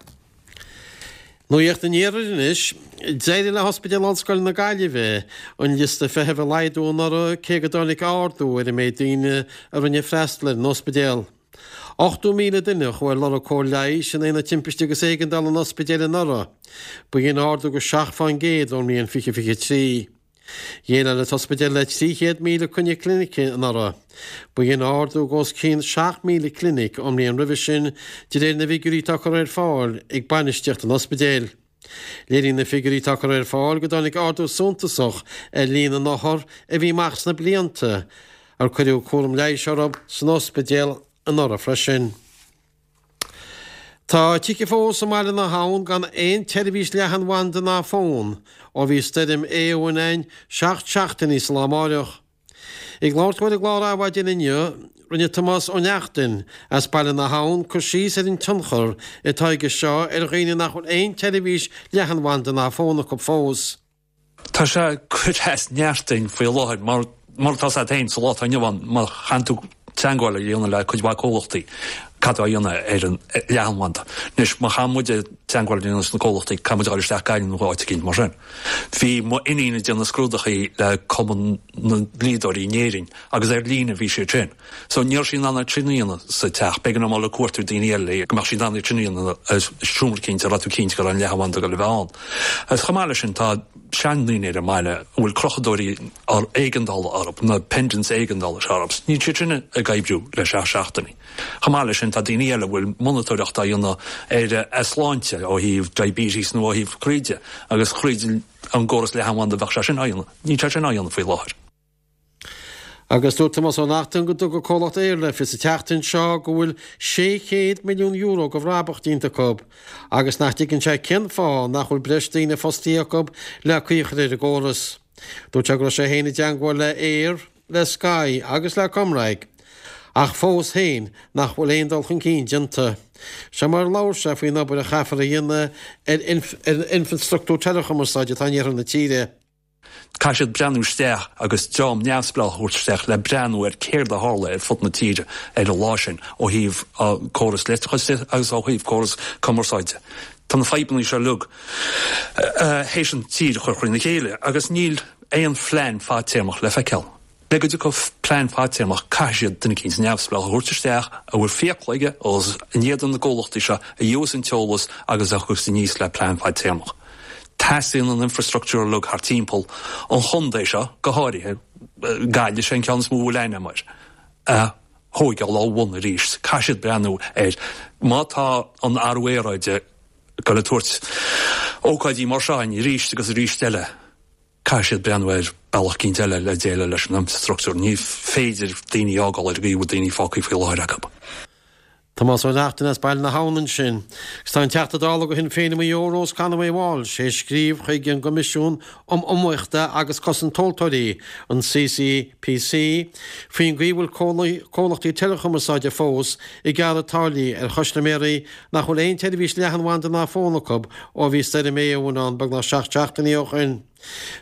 Nuacht an Iarthair anois. D'éirigh le hOspidéal Ollscoile na Gaillimhe an liosta feithimh a laghdú anuraidh cé go dtáinig ardú ar an méid daoine a rinne freastal ar an ospidéal. 80,000 duine a chuaigh ar lorg cóir leighis in Aonad Timpiste agus Éigeandála an ospidéil anuraidh. B'shin ardú de 7 fán gcéad ón mbliain 2023. Dhéileáil an t-ospidéal le 300,000 coinne clinice anuraidh. B'shin ardú de os cionn 7,000 clinic ón mbliain roimhe sin, de réir na bhfigiúirí atá curtha ar fáil ag bainistíocht an ospidéil. Léiríonn na figiúirí atá curtha ar fáil go dtáinig ardú suntasach ar líon na n-othar a bhí amach sna blianta ar cuireadh cúram leighis orthu san ospidéal anuraidh freisin. Tá tithe fós i mBaile na hAbhann gan aon tseirbhís leathanbhanda ná fón ó bhí stoirm Éowyn ann 7 seachtainí sa lá amáireach. Ag labhairt dó ar an gclár Adhmhaidin inniu, rinne Tomás Ó Neachtain as Baile na hAbhann cur síos ar an tionchar atá aige seo ar dhaoine nach bhfuil aon tseirbhís leathanbhanda ná fón acu fós.
Tá sé ag cur as neart duinn faoi láthair mar, mar atá a fhios agat féin sa lá atá inniu ann, má chaitheann tú teagmháil a dhéanamh le cuid mhaith comhlachtaí, caithfidh tú a dhéanamh ar an leathanbhanda. Anois, má chaitheann muid teagmháil a dhéanamh leis na comhlachtaí, caithfidh muid a dhul isteach Gaillimh nó áit eicínt mar sin. Bhí m'iníon ag déanamh scrúdachaí le Cumann na nDlíodóirí in Éirinn agus ar líne a bhí siad sin. So ní raibh sí in ann iad sin a dhéanamh sa teach. B'éigean dom dul ag cuartú daoine eile le go mbeadh sí in ann iad sin a dhéanamh i seomra eicínt a raibh tú cinnte go raibh an leathanbhanda ag dul a bheith ann. Agus chomh maith leis sin tá seandaoine ar an mbaile a bhfuil crochadóirí éigeandála orthu, na pendants éigeandála seo orthu. Níl siad sin ag oibriú le seacht seachtainí. Chomh maith leis sin tá daoine eile a bhfuil monatóireacht á dhéanamh ar a sláinte ó thaobh diabetes nó ó thaobh croí de agus thríd an gcóras leathanbhanda bheadh sé sin á dhéanamh. Níl sé sin á dhéanamh faoi láthair.
Agus dúirt Tomás Ó Neachtain go dtuga comhlacht Eir le fios an tseachtain seo go bhfuil €600 milliún de bhrabach déanta acu agus nach dtuigeann sé cén fáth nach bhfuil breis daoine fostaithe acu le caoi a chur ar an gcóras. Dúirt sé go raibh sé féin i dteangmháil le Eir, le Sky agus le ComReg ach fós féin nach bhfuil aon dul chun cinn déanta. Seo mar a labhair sé faoin obair a chaithfear a dhéanamh ar an infreastruchtúr teileachumarsáide atá in iarthar na tíre.
Caithfidh siad breathnú isteach agus dream neamhspleách a thabhairt isteach le breathnú ar céard a tharla ar fud na tíre ar an lá sin ó thaobh córas leictreachais de agus ó thaobh córas cumarsáide. Tá na fadhbanna seo uilig théis an tír a chur thrína chéile agus níl aon phlean fadtéarmach le feiceáil. Le go dtiocfadh plean fadtéarmach caithfidh siad duine eicínt neamhspleách a thabhairt isteach a bhfuil fiacla aige os in éadan na gcomhlachtaí seo a gheobhas an t-eolas agus a thiocfas aníos le plean fadtéarmach. Teastaíonn an infrastructúr uilig thart timpeall an chontae seo, go háirithe Gaillimh, is é an ceann is mó a bhfuil aithne agam air, a thóigeáil ó bhun arís. Caithfidh siad breathnú air. Má tá an athrú aeráide ag dul ag tabhairt ócáidí mar seo againn arís agus arís eile, Caithfidh siad breathnú ar bealach eicínt eile le déileáil leis an infrastruchtúr. Ní féidir daoine a fhágáil ar an gcaoi a bhfuil daoine fágtha faoi láthair acu.
Tomás Ó Neachtain as Baile na hAbhann ansin. Agus tá an Teachta Dála do Shinn Féin i Maigh Eo, Rose Conway Walsh, théis scríobh chuig an gCoimisiún um Iomaíocht agus Cosaint Tomhaltóirí, an CCPC, faoin gcaoi a bhfuil comhlachtaí teileachumarsáide fós ag gearradh táillí ar chustaiméirí nach bhfuil aon tseirbhís leathanbhanda ná fón acu ó bhí Stoirm Éowyn ann beagnach 7 seachtainí ó shin.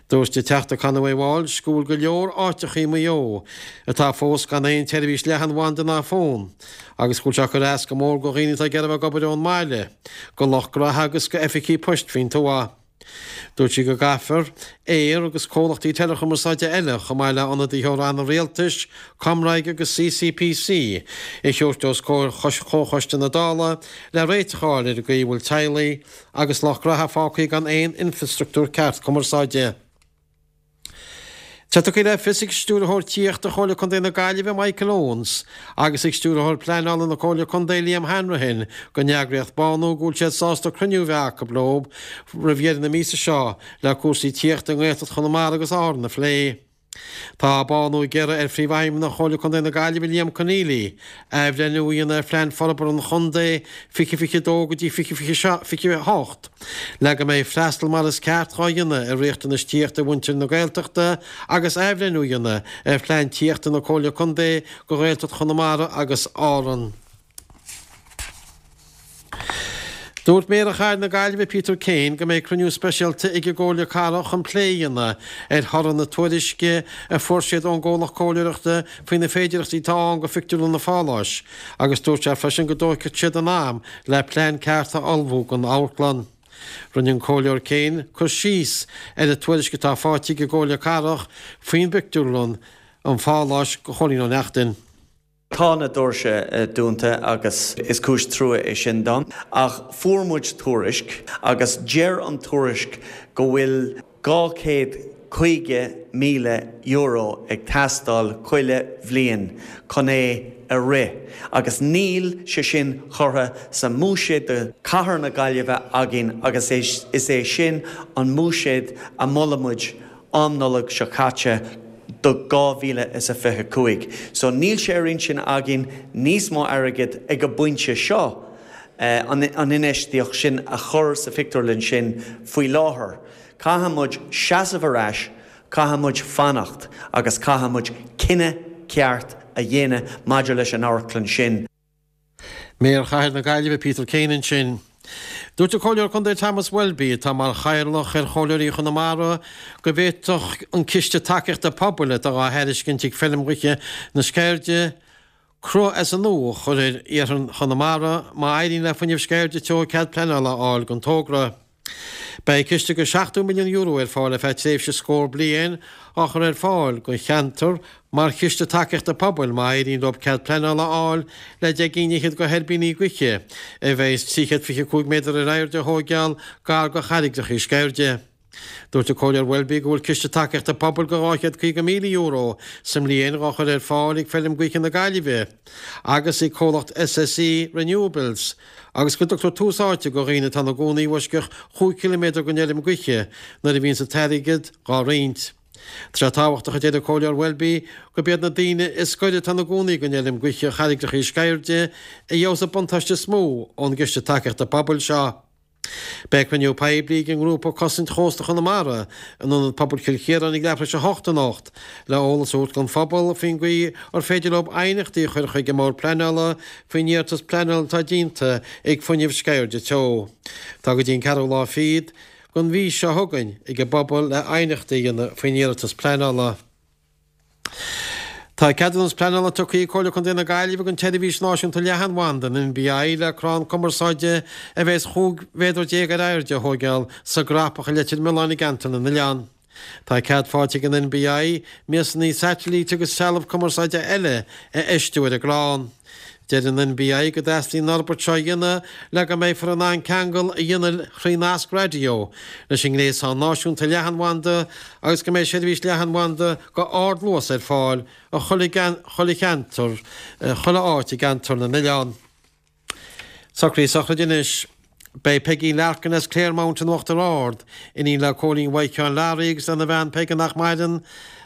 Dúirt an Teachta Conway Walsh go bhfuil go leor áiteacha i Maigh Eo atá fós gan aon tseirbhís leathanbhanda ná fón agus go bhfuil sé ag cur as go mór go dhaoine atá ag iarraidh a bheith ag obair ón mbaile, go lucht gnaithe agus go oifigí poist faoin tuath. Dúirt sí go gcaithfear Eir agus comhlachtaí teileachumarsáide eile, chomh maith le ionadaithe ó ranna rialtais, ComReg agus CCPC, a thabhairt os comhair Chomhchoiste na Dála le réiteach a fháil ar an gcaoi a bhfuil teaghlaigh agus lucht gnaithe fágtha gan aon infreastruchtúr ceart cumarsáide. Tá tugtha le fios ag Stiúrthóir Tithíochta Chomhairle Contae na Gaillimhe, Michael Owens, agus ag Stiúrthóir Pleanála na Comhairle Contae, Liam Hanrahan, don eagraíocht Bánú go bhfuil siad sásta cruinniú a bheith acu leo roimh dheireadh na míosa seo le cúrsaí tithíochta i nGaeltacht Chonamara agus Árann a phlé. Tá Bánú ag iarraidh ar Phríomhfheidhmeannach Chomhairle Contae na Gaillimhe, Liam Conneely, athbhreithniú a dhéanamh ar Phlean Forbartha an Chontae 2022 go dtí 2028. Le go mbeidh freastal mar is ceart dhá dhéanamh ar riachtanais tithíochta mhuintir na Gaeltachta agus athbhreithniú a dhéanamh ar phlean tithíochta na Comhairle Contae do Ghaeltacht Chonamara agus Árann. Dúirt Méara Chathair na Gaillimhe Peter Kane go mbeidh cruinniú speisialta ag an gComhairle Cathrach chun plé a dhéanamh ar thoradh na tuairisce a fuair siad ón gcomhlacht comhairleoireachta faoi na féidearthachtaí atá ann do Phictiúrlann an Pháláis agus dúirt sé freisin go dtógfaidh siad a n-am le plean ceart a ullmhú don amharclann. Rinne an Comhairleoir Kane cur síos ar an tuairisc atá faighte ag an gComhairle Cathrach faoin bpictiúrlann an Pháláis do Chóilín Ó Neachtain.
Tá na doirse dúnta agus is cúis trua é sin dom ach fuair muid tuairisc agus deir an tuairisc go bhfuil €250,000 ag teastáil chuile bhliain chun é a rith agus níl sé sin curtha sa mbuiséad do Chathair na Gaillimhe againn agus is é sin an mbuiséad a mhol muid am Nollag seo caite do 2025. So níl sé ar intinn againn níos mó airgid ag an bpointe seo an infheistíocht sin a chur sa phictiúrlann sin faoi láthair. Caithfidh muid seasamh ar ais, caithfidh muid fanacht agus caithfidh muid cinneadh ceart a dhéanamh maidir leis an amharclann sin.
Méara Chathair na Gaillimhe Peter Kane ansin. Dúirt an Comhairleoir Contae Thomas Welby, atá mar chathaoirleach ar Chomhairleoirí Chonamara, go bhféadfadh an ciste tacaíochta pobail atá á thairiscint ag Feilm Ghaoithe na Sceirde, Cruth as an nua a chur ar iarthar Chonamara má éiríonn le Fuinneamh Sceirde Teo cead pleanála a fháil don togra. Beidh ciste de €70 milliún ar fáil ar feadh tréimhse scór bliain á chur ar fáil don cheantar mar chiste tacaíochta pobail má éiríonn leo cead pleanála a fháil le 10 gcinn fhichead de thuirbíní gaoithe a bheas 325 méadar ar airde a thóigeáil gar do charraigreachaí Sceirde. Dúirt an Comhairleoir Welby go bhfuil ciste tacaíochta pobail de €250,000 sa mbliain dhá chur ar fáil ag Feilm Gaoithe na Gaillimhe agus ag comhlacht SSE Renewables agus go dtugtar tús áite do dhaoine atá ina gcónaí i bhfoisceacht chúig chiliméadar den fheilm gaoithe nuair a bhíonns an t-airgead dhá roinnt. Tá sé tábhachtach, a deir an Comhairleoir Welby, gurb iad na daoine is gaire atá ina gcónaí don fheilm gaoithe Charraigreachaí Sceirde a gheobhas an buntáiste is mó ón gciste tacaíochta pobail seo. Beidh cruinniú poiblí ag an ngrúpa Cosaint Chósta Chonamara in Ionad Pobail Chill Chiaráin ag leathuair tar éis a hocht anocht le eolas a thabhairt don phobal faoin gcaoi ar féidir leo aighneachtaí a chur chuig an mBord Pleanála faoin iarratas pleanála atá déanta ag Fuinneamh Sceirde Teo. Tá go dtí an ceathrú lá fichead den mhí seo chugainn ag an bpobal le aighneachtaí a dhéanamh faoin iarratas pleanála. Tá ceadúnas pleanála tugtha ag Comhairle Contae na Gaillimhe don tSeirbhís Náisiúnta Leathanbhanda, an NBI, le crann cumarsáide a bheas 15 mhéadar ar airde a thóigeáil sa gCrapach i Leitir Mealláin i gCeantar na nOileán. Tá cead faighte ag an NBI miasanna saitilíte agus trealamh cumarsáide eile a fheistiú ar an gcrann. Deir an NBI go dteastaíonn an fhorbairt seo a dhéanamh le go mbeifear in ann ceangal a dhéanamh thrí nasc raidió leis an ngréasán náisiúnta leathanbhanda agus go mbeidh seirbhís leathanbhanda go ardluas ar fáil i chuile chuile cheantar, chuile áit i gCeantar na nOileán. Socruithe sochraide anois. Beidh Peigín Larkin as Claremount in Uachtar Ard, iníon le Cóilín Mhaidhc Sheáin Learaí agus lena bhean Peige nach maireann,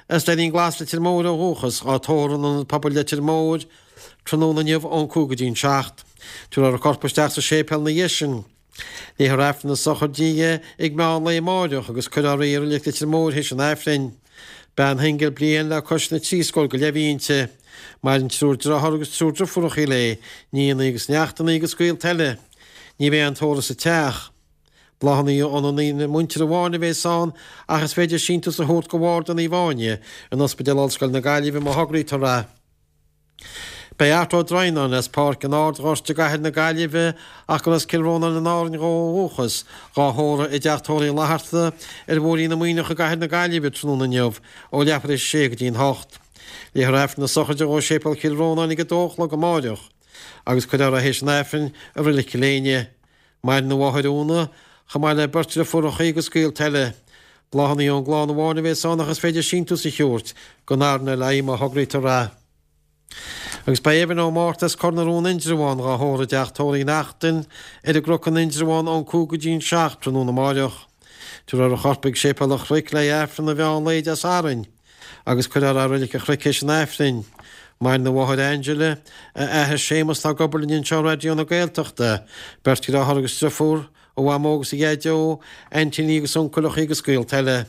as Doirín Glas Leitir Móir ó dhúchas, á tórramh in Ionad Pobail Leitir Móir tráthnóna inniu ón 5 go dtí an 7. Tabharfar a corp isteach sa séipéal ina dhiaidh sin. Léifear Aifreann na sochraide di ag meán lae amáireach agus cuirfear í i Reilig Leitir Móir théis an Aifrinn. Bean shingil bliain le cois na dtrí scór go leith a bhí inti. Maireann triúr dearthár agus triúr driofúrachaí léi, nianna agus neachtanna agus gaolta eile. Ní bheidh aon tórramh sa teach. Bláthanna óna muintir amháin a bheas ann ach is féidir síntiús a thabhairt go Bharda Naomh Áine in Ospidéal Ollscoile na Gaillimhe má thograítear é. Beidh Art Ó Droighneáin as Páirc an Ardghoirt i gcathair na Gaillimhe ach gur as Cill Rónáin in Árainn dhó ó dhúchas, dhá thórramh i dTeach Tórraimh Uí Fhlatharta ar Bhóithrín na Muimhneach i gcathair na Gaillimhe tráthnóna inniu ó leathuair tar éis a sé go dtí an hocht. Léifear Aifreann na sochraide dhó i Séipéal Chill Rónáin ag a dó a chlog amáireach agus cuirfear é théis an Aifrinn i Reilig Chill Éinne. Maireann a mháthair Úna, chomh maith le beirt driofúrachaí agus gaolta eile. Bláthanna ón gclann amháin a bheas ann ach is féidir síntiús a thabhairt don RNLI má thograítear é. Agus beidh Evan Ó Márta as Cor na Rón Indreabhán dhá thórramh i dTeach Tórraimh Uí Neachtain ar an gCnoc in Indreabhán ón 5 go dtí an 7 tráthnóna amáireach. Tabharfar a chorp ag Séipéal an Chnoic le haghaidh Aifreann an mheán lae Dé Sathairn agus cuirfear é i Reilig an Chnoic théis an Aifrinn. Maireann a mháthair Angela, a athair Séamus atá ag obair linn anseo i Raidió na Gaeltachta, beirt dheartháir agus driofúr, a mhamó agus a dhaideo, aintíní agus uncaileacha agus gaolta eile.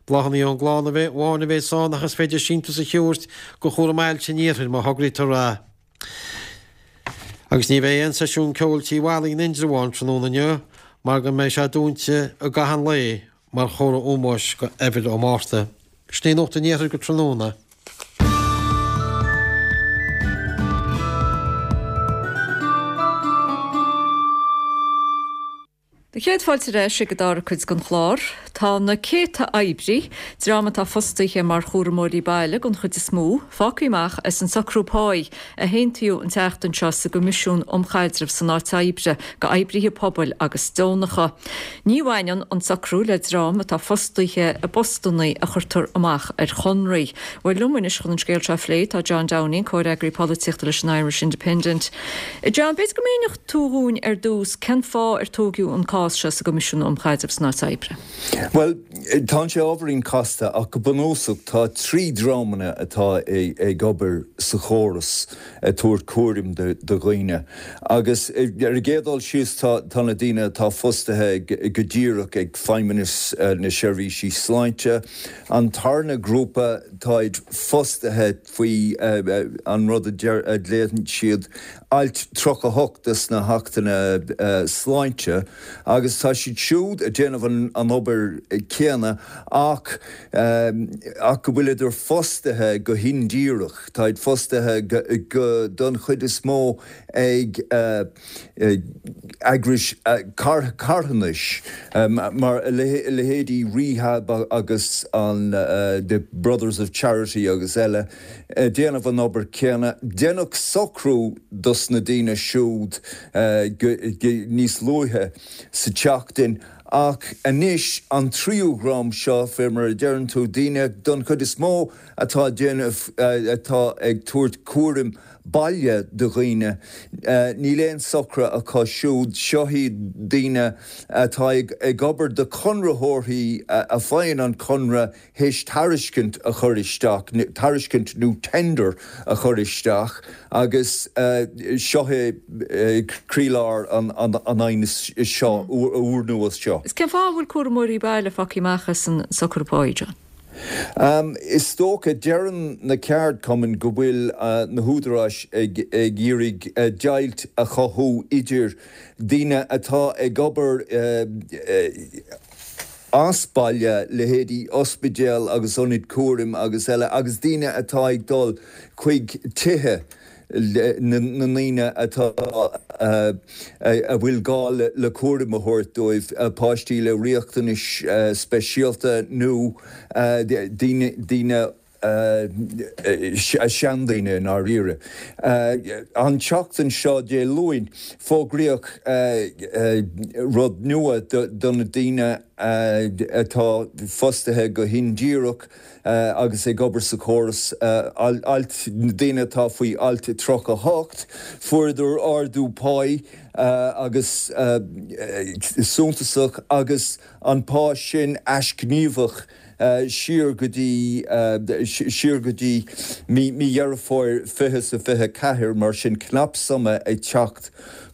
Bláthanna ón gclann amháin a bheas ann ach is féidir síntiús a thabhairt go Chúram Ailse an Iarthair má thograítear é. Agus ní bheidh aon seisiún ceoil Tí Mholly in Indreabhán tráthnóna inniu mar go mbeidh sé dúnta i gcaitheamh an lae mar chomhartha ómóis go Evan Ó Márta. Sin í Nuacht an Iarthair go tráthnóna.
Do chéad fáilte ar ais ag an dara cuid den chlár. Tá na céadta oibrí, dream atá fostaithe mar chúramóirí baile den chuid is mó, fágtha amach as an socrú páí a haontaíodh an tseachtain seo sa gCoimisiún um Chaidreamh san Áit Oibre go oibrithe pobail agus deonacha. Ní bhaineann an socrú le dream atá fostaithe i bpostanna a chuirtear amach ar chonraí. Bhuel, liom anois chun an scéal seo a phlé tá John Downing, comhfhreagraí polaitíochta leis an Irish Independent. John, b'fhéidir go míneodh tú dhúinn ar dtús cén fáth ar tóigeadh an cás seo sa gCoimisiún um Chaidreamh san Áit Oibre?
Bhuel, tá sé ábhairín casta ach go bunúsach tá trí dhreamanna atá ag obair sa chóras ag tabhairt cúraim do dhaoine agus ar an gcéad dul síos tá na daoine atá fostaithe go díreach ag Feidhmeannas na Seirbhísí Sláinte. An tarna grúpa táid fostaithe faoi an rud a ghlaonn siad Alt 38 de sna hAchtanna Sláinte agus tá siad siúd ag déanamh an obair céanna ach ach go bhfuileadar fostaithe go hindíreach, táid fostaithe go don chuid is mó ag eagrais carthanais mar a leithéidí Rehab agus an The Brothers of Charity agus eile. ag déanamh an obair céanna. Deineadh socrú dos na daoine siúd níos luaithe sa tseachtain ach anois an tríú dhream seo, fé mar a deireann tú, daoine don chuid is mó atá ag déanamh, atá ag tabhairt cúraim baile do dhaoine, níl aon socruithe acu siúd. Seo iad daoine atá ag obair do chonraitheoirí a faigheann an conradh théis tairiscint a chur isteach, tairiscint nó tender a chur isteach agus seo é croílár an aighnis seo, úrnua seo.
Is cén fáth a bhfuil cúramóirí baile fágtha amach as an socrú páí, John?
Is dócha, deireann na ceardchumainn go bhfuil na húdaráis ag iarraidh deighilt a chothú idir daoine atá ag obair. as baile, leithéidí ospidéal agus ionaid cúraim agus eile, agus daoine atá ag dul chuig tithe na ndaoine atá, a bhfuil gá le cúram a thabhairt dóibh, páistí le riachtanais speisialta nó daoine, daoine. seandaoine i ndáiríre. An tseachtain seo, Dé Luain, fógraíodh rud nua do na daoine atá fostaithe go hindíreach agus ag obair sa chóras, alt, na daoine atá faoi alt 38, fuaireadar ardú páí agus suntasach agus an pá sin aisghníomhach. siar go dtí siar go dtí mí Dheireadh Fómhair 2024, mar sin cnapshuim ag teacht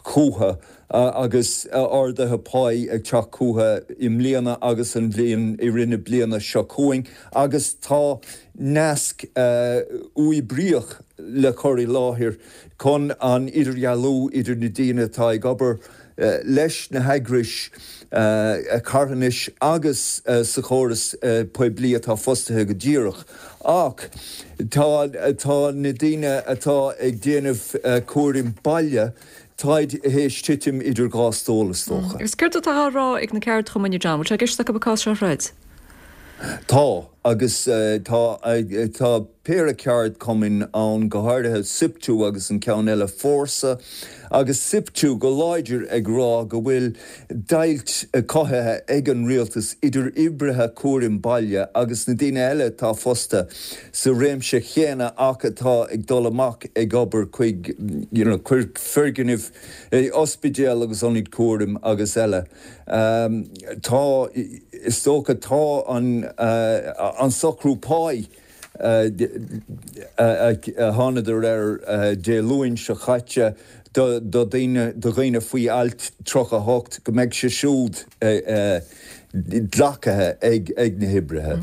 chucu agus arduithe páí ag teacht chucu i mbliana agus an bhliain i rith na bliana seo chugainn agus tá nasc uathoibríoch le cur i láthair chun an idirdhealú idir na daoine atá ag obair leis na heagrais carthanais agus sa chóras poiblí atá fostaithe go díreach. Ach tá tá na daoine atá ag déanamh cúraim baile, táid théis titim idir dhá stól is dócha.
Agus céard atá á rá ag na ceardchumainn, a John? Bhfuil sé i gceist acu an cás seo a throid?
Tá, agus tá tá péire ceardchumainn ann, go háirithe Siptu agus an ceann eile Fórsa, agus Siptu go láidir ag rá go bhfuil deighilt cothaithe ag an rialtas idir oibrithe cúraim baile agus na daoine eile atá fostaithe sa réimse chéanna ach atá ag dul amach ag obair chuig you know foirgnimh, ospidéal agus ionaid cúraim agus eile. Tá, is dócha, tá an socrú páí a thánadar air Dé Luain seo chaite do dhaoine, do dhaoine faoi alt 38, go mbeidh sé siúd glactha ag na hoibrithe.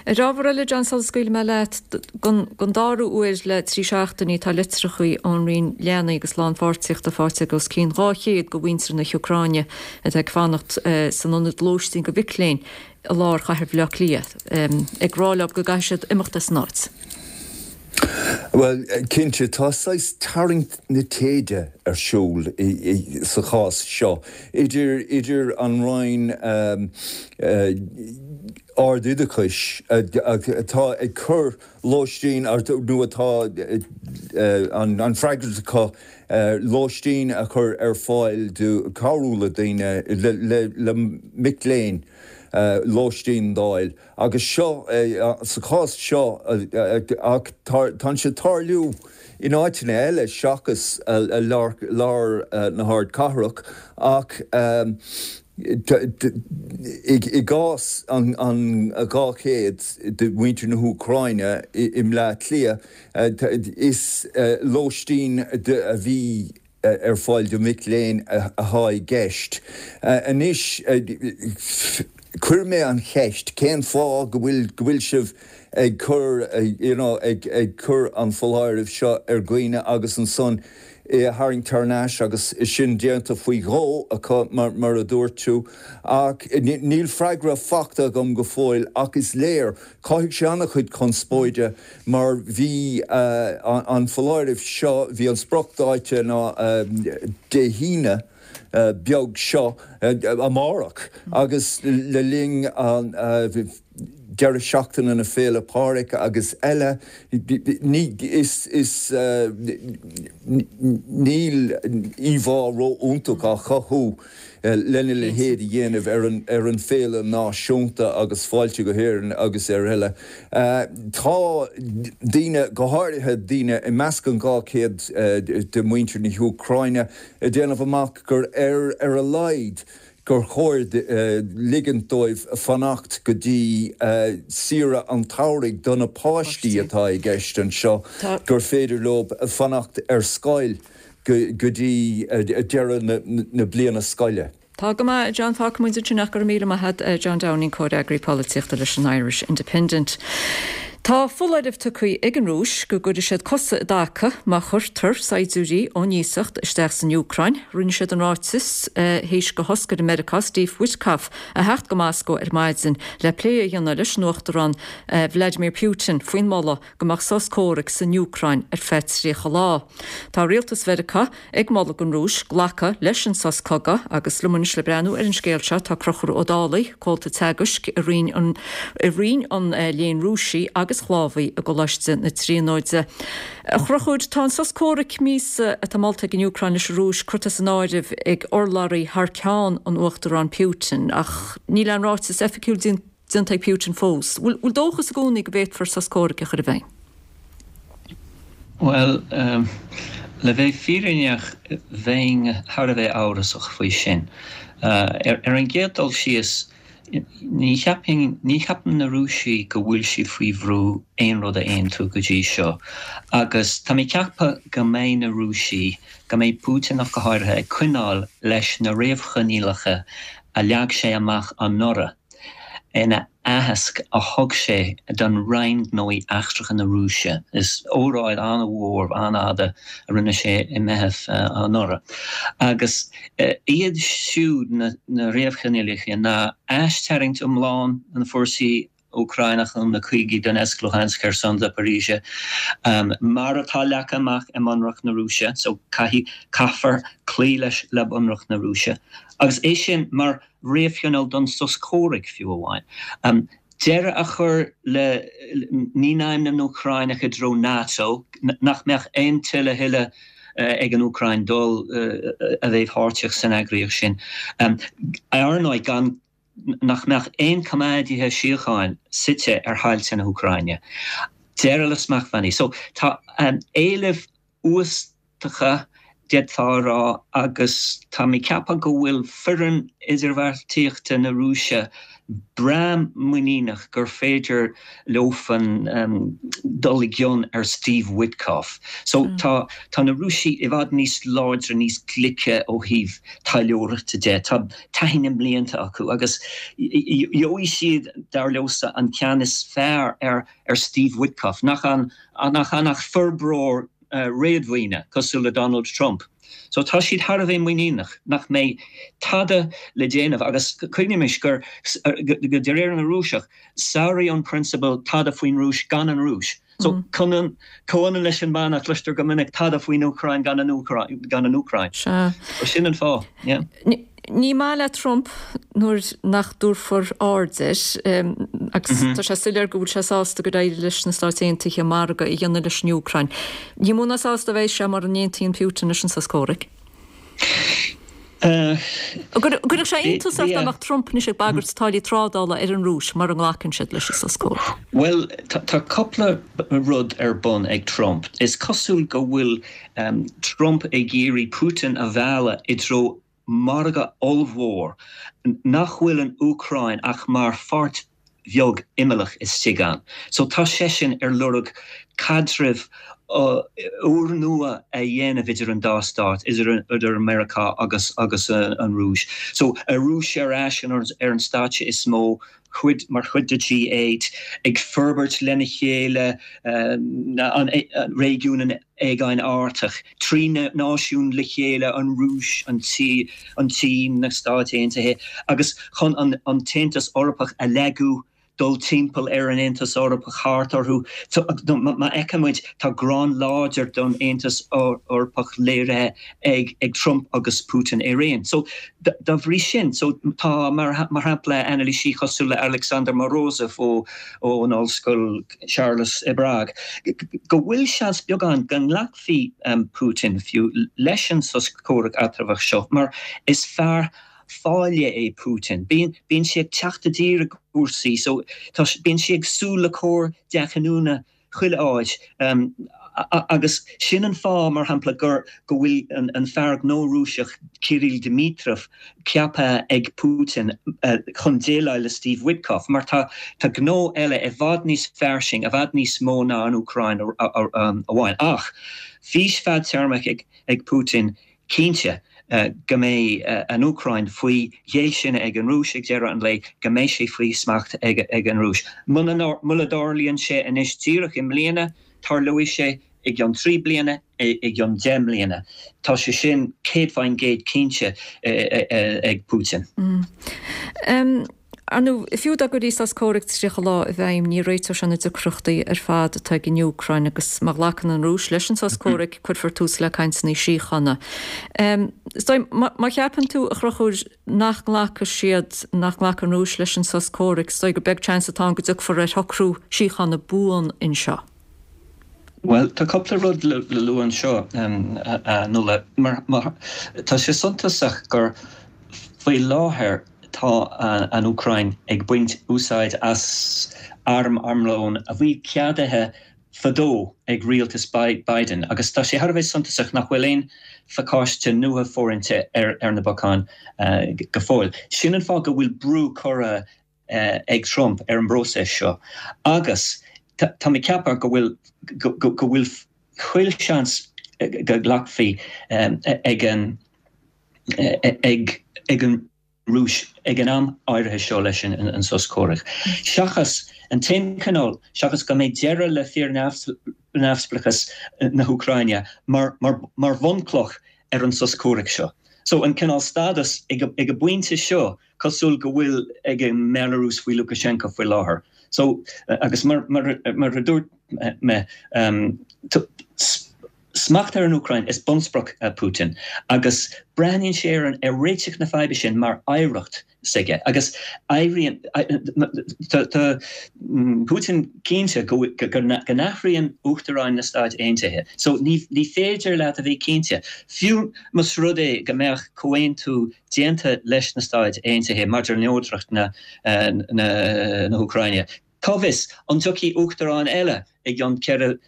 Ar ábhar eile, John, sula scaoilfidh mé leat, don dara huair le 3 seachtainí tá litreacha ón Roinn Leanaí agus Lánpháirtíochta faighte ag os cionn 200 de mhuintir na hÚcráine atá ag fanacht san ionad lóistín do mhic léinn i lár chathair Bhaile Átha Cliath, ag rá leo go gcaithfidh siad imeacht as an áit.
Bhuel, cinnte, tá saghas tarraingt na téide ar siúl sa chás seo idir idir an Roinn Ard-Oideachais atá ag cur lóistín nó atá an freagracht acu lóistín a chur ar fáil do cabhrú le daoine, le mic léinn lóistín d'fháil. Agus seo, sa chás seo, ach tá sé ag tarlú in áiteanna eile seachas lár na hardchathrach, ach i gcás an 200 de mhuintir na hÚcráine i mBleá Cliath, is lóistín a bhí ar fáil do mhic léinn atá i gceist. Anois, chuir mé an cheist, cén fáth go bhfuil, go bhfuil sibh ag cur, you know, ag, ag cur an foláirimh seo ar dhaoine agus ansan é a tharraingt thar n-ais agus sin déanta faoi dhó acu, mar, mar a dúirt tú. Ach níl freagra fachta agam go fóill ach is léir, chothaigh sé an-chuid conspóide Mar bhí an foláireamh seo, bhí an spriocdháta ná Dé hAoine beag seo, amárach, agus le linn an deireadh seachtaine na Féile Pádraig agus eile, ní, is, is, níl íomhá ró-iontach á chothú. lena leithéid a dhéanamh ar an ar an féile náisiúnta agus fáilte go hÉirinn agus ar eile. Tá daoine, go háirithe daoine i measc an 200 de mhuintir na hÚcráine, ag déanamh amach gur ar ar a laghad gur chóir ligint dóibh fanacht go dtí saoire an tsamhraidh do na páistí atá i gceist anseo, gur féidir leo fanacht ar scoil. go dtí deireadh na bliana scoile.
Tá go maith, a John. Fágfaidh muid ansin ach go raibh míle maith agat, John Downing, Comhfhreagraí Polaitíochta leis an Irish Independent. Tá foláireamh tugtha ag an Rúis go gcuirfidh siad cosa i dtaca má chuirtear saighdiúirí ón iasacht isteach san Úcráin. Rinne siad an ráiteas théis do thoscaire Meiriceá Steve Witkoff a theacht go Moscó ar maidin le plé a dhéanamh leis an Uachtarán Vladimir Putin faoin moladh go mbeadh sos comhraic san Úcráin ar feadh 30 lá. Tá rialtas Mheiriceá ag moladh don Rúis glacadh leis an sos cogaidh agus liom anois le breathnú ar an scéal seo tá Conchúr Ó Dálaigh, comhalta teagaisc i Roinn an i Roinn an Léinn Rúisigh agus Shlávaigh i gColáiste na Tríonóide. A Chonchúir, tá an sos comhraic míosa atá molta ag an Úcráin leis an Rúis curtha san áireamh ag urlabhraí thar ceann an Uachtaráin Putin ach níl aon ráiteas oifigiúil déanta ag Putin fós. Bhfuil dóchas i gcónaí go bhféadfar sos comhraic a chur i bhfeidhm?
Bhuel, le bheith fírinneach, bheinn thar a bheith amhrasach faoi sin. Ar an gcéad dul síos, ní cheapfainn, ní cheapann na Rúisigh go bhfuil siad faoi bhrú aon rud a aontú go dtí seo. Agus tá mé ag ceapadh go mbeidh na Rúisigh, go mbeidh Putin ach go háirithe, ag coinneáil leis na réamhchoinníollacha a leag sé amach anuraidh. ina aitheasc a thug sé don Roinn Gnóthaí Eachtracha na Rúise. Is óráid an-mhór, an-fhada a rinne sé i Meitheamh anuraidh. Agus iad siúd na réamhchoinníollacha ná aistarraingt iomlán na bhfórsaí Úcráineacha ó na cúigí Donetsk, Luhansk, Kherson, Zaporizhzhia, mar atá leagtha amach i mBunreacht na Rúise, so caithfidh, caithfear cloí leis le Bunreacht na Rúise. Agus é sin mar réamhchoinníoll don sos comhraic, fiú amháin. Deireadh a chur le ní naimhde na hÚcráineach i dtreo NATO, nach mbeadh aon toil a thuilleadh ag an Úcráin dul a bheith páirteach san eagraíocht sin. Ar ndóigh, gan nach mbeadh aon coimeádaithe síocháin suite ar thailte na hÚcráine. Deireadh le smachtbhannaí. So, tá éilimh uastacha, d'fhéadfá a rá, agus tá mé ag ceapadh go bhfuil foireann idirbheartaíochta na Rúise breá muiníneach gur féidir leofan dul i gcion ar Steve Witkoff. So tá tá na Rúisigh i bhfad níos láidre, níos glice ó thaobh taidhleoireachta de. Tá taithí na mblianta acu agus gheobhaidh siad, dar leosa, an ceann is fearr ar ar Steve Witkoff, nach ann nach ann ach forbróir réadmhaoine cosúil le Donald Trump. So tá siad thar a bheith muiníneach nach mbeidh tada le déanamh agus cuimhnímis gur, go de réir na Rúiseach, sáraíodh an prionsabal tada faoin Rúis gan an Rúis. So comhionann leis an mana a chloistear go minic tada faoin Úcráin gan an Úcráin.
Sea.
So sin an fáth, yeah.
Ní maith le Trump nuair nach dtabharfar aird air agus tá sé soiléir go bhfuil sé sásta gur éirigh leis na Stáit Aontaithe margadh a dhéanamh leis an Úcráin. Ní mó ná sásta a bheidh sé mura n-aontaíonn Putin leis an sos comhraic. An gcuirfeadh sé iontas ort dá mbeadh Trump anois ag bagairt táillí trádála ar an Rúis mura nglacann siad leis an sos comhraic?
Bhuel, tá cúpla rud ar bun ag Trump. Is cosúil go bhfuil Trump ag iarraidh Putin a mhealladh i dtreo margadh ollmhór nach bhfuil an Úcráin ach mar pháirt bheag imeallach istigh ann. So tá seisean ar lorg caidreamh úrnua a dhéanamh idir an dá stát, idir idir Meiriceá agus agus an Rúis. So an Rúis ar ais ar an stáitse is mó, chuid, mar chuid de G8, ag forbairt lena chéile an réigiún an Aigéin Artach, 3 náisiún le chéile, an Rúis, an tSín, na Stáit Aontaithe, agus chun an tAontas Eorpach a lagú, dul timpeall ar an Aontas Eorpach, thart orthu. Má fheiceann muid, tá gráin láidir don Aontas Eorpach léirithe ag Trump agus Putin araon. So, dá bhrí sin, so tá, mar shampla, anailísí cosúil le Alexander Morozov ó ón Ollscoil Charles i bPrág, go bhfuil seans beag ann go nglacfaidh Putin fiú leis an sos comhraic eatramhach seo mar is fear fáile é Putin. Bíonn bíonn sé ag teacht i dtír i gcúrsaí so tá bíonn sé ag súil le cor dea-chinniúna chuile áit agus sin an fáth, mar shampla, gur go bhfuil an fear gnó Rúiseach Kirill Dmitriev ceaptha ag Putin chun déileáil le Steve Witkoff mar tá tá gnó eile i bhfad níos fairsing, i bhfad níos mó ná an Úcráin amháin. Ach fís fadtéarmach ag Putin cinnte. go mbeidh an Úcráin faoi ghéillsine ag an Rúis ag deireadh an lae, go mbeidh sé faoi smacht ag an Rúis. Muna dtarlaíonn sé anois díreach i mbliana, tarlóidh sé i gcionn 3 bliana, i gcionn 10 mbliana. Tá sé sin 100% cinnte ag Putin.
Ar ndóigh, fiú dá gcuirfí sos comhraic 30 lá i bhfeidhm, ní réiteodh sé na deacrachtaí ar fad atá ag an Úcráin agus má ghlacann an Rúis leis an sos comhraic, cuirfear tús le cainteanna síochána. Is dóigh, má cheapann tú, a Chonchúir, nach nglacfaidh siad, nach nglacfaidh an Rúis leis an sos comhraic, is dóigh gur beag seans atá ann go dtiocfar ar shocrú síochána buan anseo.
Bhuel, tá cúpla rud le lua anseo, a Nuala. Mar, tá sé suntasach gur faoi láthair tá an Úcráin ag baint úsáid as arm armlón a bhí ceadaithe fadó ag rialtas Biden agus tá sé thar a bheith suntasach nach bhfuil aon phacáiste nua fóraithe ar na bacáin go fóill. Sin an fáth go bhfuil brú curtha ag Trump ar an bpróiseas seo agus tá mé ag ceapadh go bhfuil go bhfuil chuile sheans go nglacfaí ag an ag ag an Rúis ag an am áirithe seo leis an sos comhraic. Seachas an t-aon cineál, seachas go mbeidh deireadh le fíor-neamhspleáchas na hÚcráine mar mar mar bhunchloch ar an sos comhraic seo. So an cineál stádas ag an bpointe seo cosúil go bhfuil ag an mBealarúis faoi Lukashenko faoi láthair. So, agus mar mar a dúirt mé, smacht ar an Úcráin is bunsprioc Putin agus breathnaíonn sé ar an ar réiteach na faidhbe sin mar oidhreacht s'aige agus éiríonn tá Putin cinnte go go n-athraíonn uachtaráin na Stáit Aontaithe. So ní ní féidir leat a bheith cinnte, fiú más rud é go mbeadh comhaontú déanta leis na Stáit Aontaithe maidir le neodracht na hÚcráine. Cá bhfios, an dtiocfaidh uachtarán eile i gcionn 4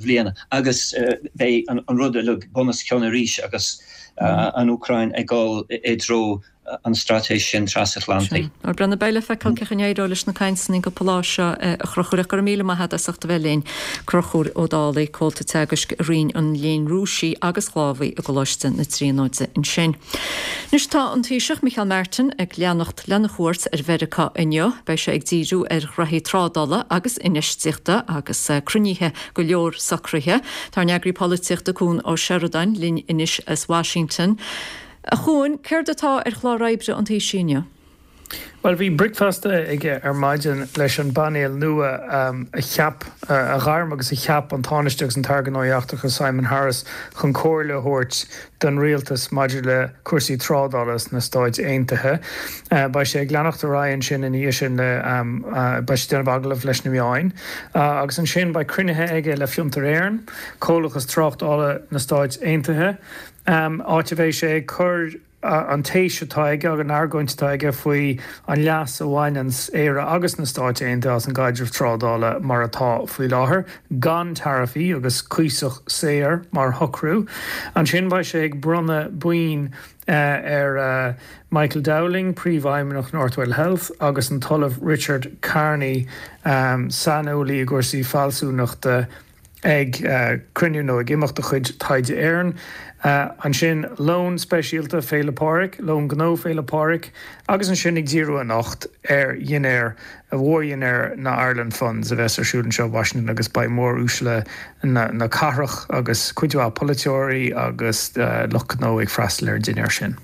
bhliana agus beidh an rud uilig bunoscionn arís agus an Úcráin ag dul i dtreo an straitéis sin trasatlantaigh.
Sea. Bhuel, beidh le feiceáil cén chaoi a n-éireoidh leis na cainteanna an cúpla lá seo, a Chonchúir, ach go raibh míle maith agat as ucht a bheith linn. Conchúr Ó Dálaigh, Comhalta Teagaisc i Roinn an Léinn Rúisigh agus Shlávaigh i gColáiste na Tríonóide ansin. Anois tá an Taoiseach Micheál Martin ag leanacht lena chuairt ar Mheiriceá inniu. Beidh sé ag díriú ar ghraithí trádála agus infheistíochta agus cruinnithe go leor socraithe. Tá ár n-eagraí polaitíochta Cuan Ó Seireadáin linn anois as Washington. A Chuain, céard atá ar chlár oibre an Taoisigh inniu?
Bhuel, bhí bricfeasta aige ar maidin leis an bpainéal nua a cheap, a ghairm agus a cheap an Tánaiste agus an tAire Gnóthaí Eachtracha Simon Harris chun comhairle a thabhairt don rialtas maidir le cúrsaí trádála sna Stáit Aontaithe. Beidh sé ag leanacht ar aghaidh ansin ina dhiaidh sin le, beidh sé ag déanamh agallamh leis na meáin agus ansin beidh cruinnithe aige le Fiontar Éireann, Comhlachas Tráchtála na Stáit Aontaithe, áit a bheidh sé ag cur an téis atá aige agus an argóint atá aige faoi an leas a bhaineanns Éire agus na Stáit Aontaithe as an gcaidreamh trádála mar atá faoi láthair, gan taraifí agus cuíosach saor mar shocrú. Ansin beidh sé ag bronnadh boinn ar Michael Dowling, Príomhfheidhmeannach Northwell Health, agus an tOllamh Richard Carney, saineolaí i gcúrsaí fealsúnachta, ag cruinniú nó ag imeacht de chuid Taighde Éireann. Ansin lón speisialta Féile Pádraig, lón gnó Féile Pádraig agus ansin ag díriú anocht ar dhinnéar, mhórdhinnéar na Ireland Funds a bheas ar siúl anseo i Washington agus beidh móruaisle na cathrach agus cuid mhaith polaiteoirí agus lucht gnó ag freastal ar an dinnéar sin.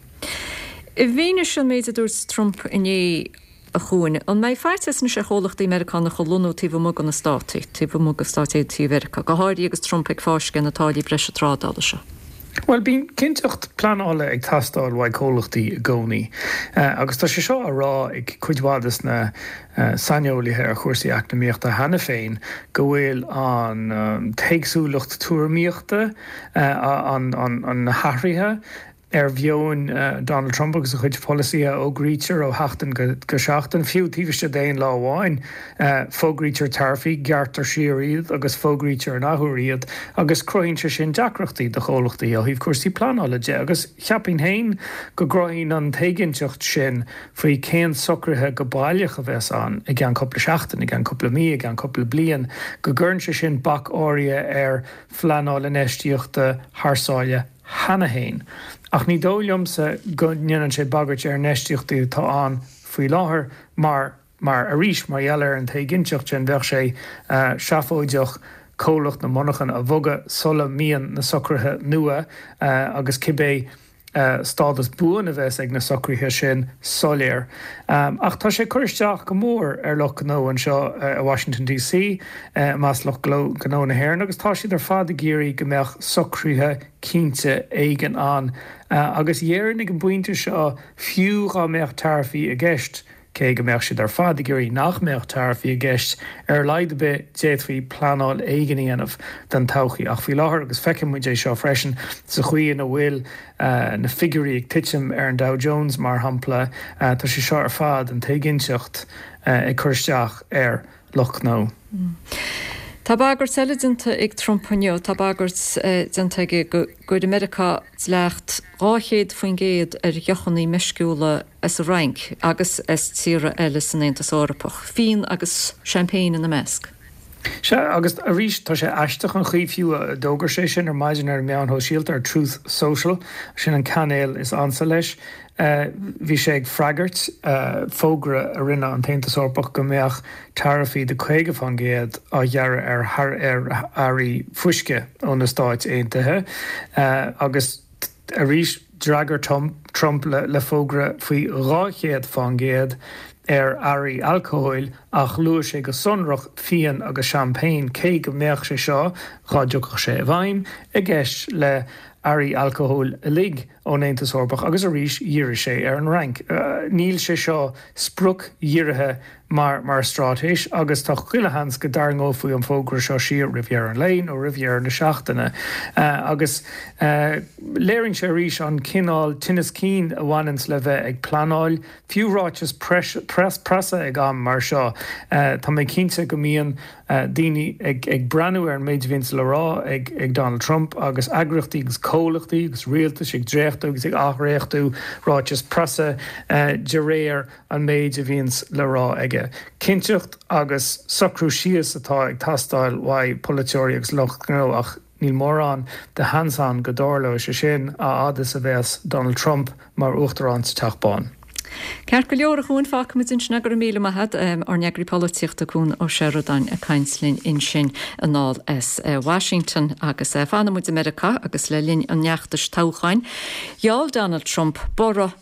I bhfianaise an méid a dúirt Trump inné, A Chuain, an mbeidh faitíos anois ar chomhlachtaí Meiriceánacha lonnú taobh amuigh de na Státaí, taobh amuigh de Stáit Aontaithe Mheiriceá, go háirithe agus Trump ag fáisceadh na táillí breise trádála seo?
Bhuel, bíonn cinnteacht pleanála ag teastáil uaidh comhlachtaí i gcónaí. Agus tá sé seo á rá ag cuid mhaith des na saineolaithe ar chúrsaí eacnamaíochta cheana féin go bhfuil an t-éagsúlacht tuairimíochta, an na hathruithe, ar mheon Donald Trump agus a chuid polasaithe a fhógraítear ó sheachtain go seachtain, fiú taobh istigh d'aon lá amháin. Fógraítear taraifí, gearrtar siar iad agus fógraítear an athuair iad agus cruthaíonn sé sin deacrachtaí do chomhlachtaí ó thaobh cúrsaí pleanála de agus cheapfainn féin go gcruthaíonn an t-éiginnteacht sin faoi cén socruithe go baileach a bheas ann i gceann cúpla seachtain, i gceann cúpla mí, i gceann cúpla bliain, go gcuireann sé sin bac áirithe ar phleanáil infheistíochta thar sáile. cheana féin. Ach ní dóigh liomsa go ndéanann sé bagairt ar infheistíochtaí atá ann faoi láthair mar, mar arís, mar gheall ar an t-éiginnteacht sin, bheadh sé seafóideach comhlacht nó monarchan a bhogadh sula mbíonn na socruithe nua agus cibé stádas buan a bheas ag na socruithe sin soiléir. Ach tá sé ag cur isteach go mór ar lucht gnó anseo i Washington DC, i measc lucht gnó na hÉireann, agus tá siad ar fad ag iarraidh go mbeadh socruithe cinnte éigin ann. Agus dhéarfainn ag an bpointe seo, fiú dhá mbeadh taraifí i gceist, Cé go mbeadh siad ar fad ag iarraidh nach mbeadh taraifí i gceist, ar a laghad ar bith d'fhéadfaí pleanáil éigin a dhéanamh don todhchaí. Ach faoi láthair, agus feiceann muid é seo freisin sa chaoi ina bhfuil na figiúirí ag titim ar an Dow Jones mar shampla, tá sé seo ar fad, an t-éiginnteacht, ag cur isteach ar lucht gnó.
Tá bagairt eile déanta ag Trump inniu. Tá bagairt déanta aige go gcuirfidh Meiriceá dleacht 200% ar dheochanna meisciúla as an Fhrainc agus as tíortha eile san Aontas Eorpach, fíon agus seaimpéin ina measc.
Sea, agus arís, tá sé aisteach an chaoi fiú a d'fhógair sé sin ar maidin ar na meáin shóisialta, ar Truth Social, sin an cainéal is ansa leis. Bhí sé ag freagairt fógra a rinne an tAontas Eorpach go mbeadh taraifí de 50% á ghearradh ar earraí fuisce ó na Stáit Aontaithe agus arís d'fhreagair Trump le fógra faoi 200% ar earraí alcóil ach luaigh sé go sonrach fíon agus seaimpéin, cé go mbeadh sé seo, dhá dtiocfadh sé i bhfeidhm, i gceist le hearraí alcóil uilig ón Aontas Eorpach agus arís dhírigh sé ar an Fhrainc. Níl sé seo spriocdhírithe mar mar straitéis agus tá chuile sheans go dtarraingeofaí an fógra seo siar roimh dheireadh an lae nó roimh dheireadh na seachtaine. Agus léiríonn sé arís an cineál tinneas cinn a bhaineanns le bheith ag pleanáil, fiú ráiteas preasa ag am mar seo. Tá mé cinnte go mbíonn daoine ag breathnú ar an méid a bhíonns le rá ag Donald Trump agus eagraíochtaí agus comhlachtaí agus rialtais ag dréachtú agus ag athdhréachtú ráiteas preasa de réir an méid a bhíonns le rá aige. Cinnteacht agus socrú síos atá ag teastáil uaidh polaiteoirí agus lucht gnó ach níl mórán de sheans ann go dtarlóidh sé sin a fhad is a bheas Donald Trump mar Uachtarán sa Teach Bán.
Ceart go leor, a Chuain, fágfaimid ansin é. Go raibh míle maith agat. Ár n-eagraí polaitíochta, Cuan Ó Seireadáin, ag caint linn ansin anall as Washington. Agus fanfaidh muid i Meiriceá agus le linn an fheachtais toghcháin, gheall Donald Trump borradh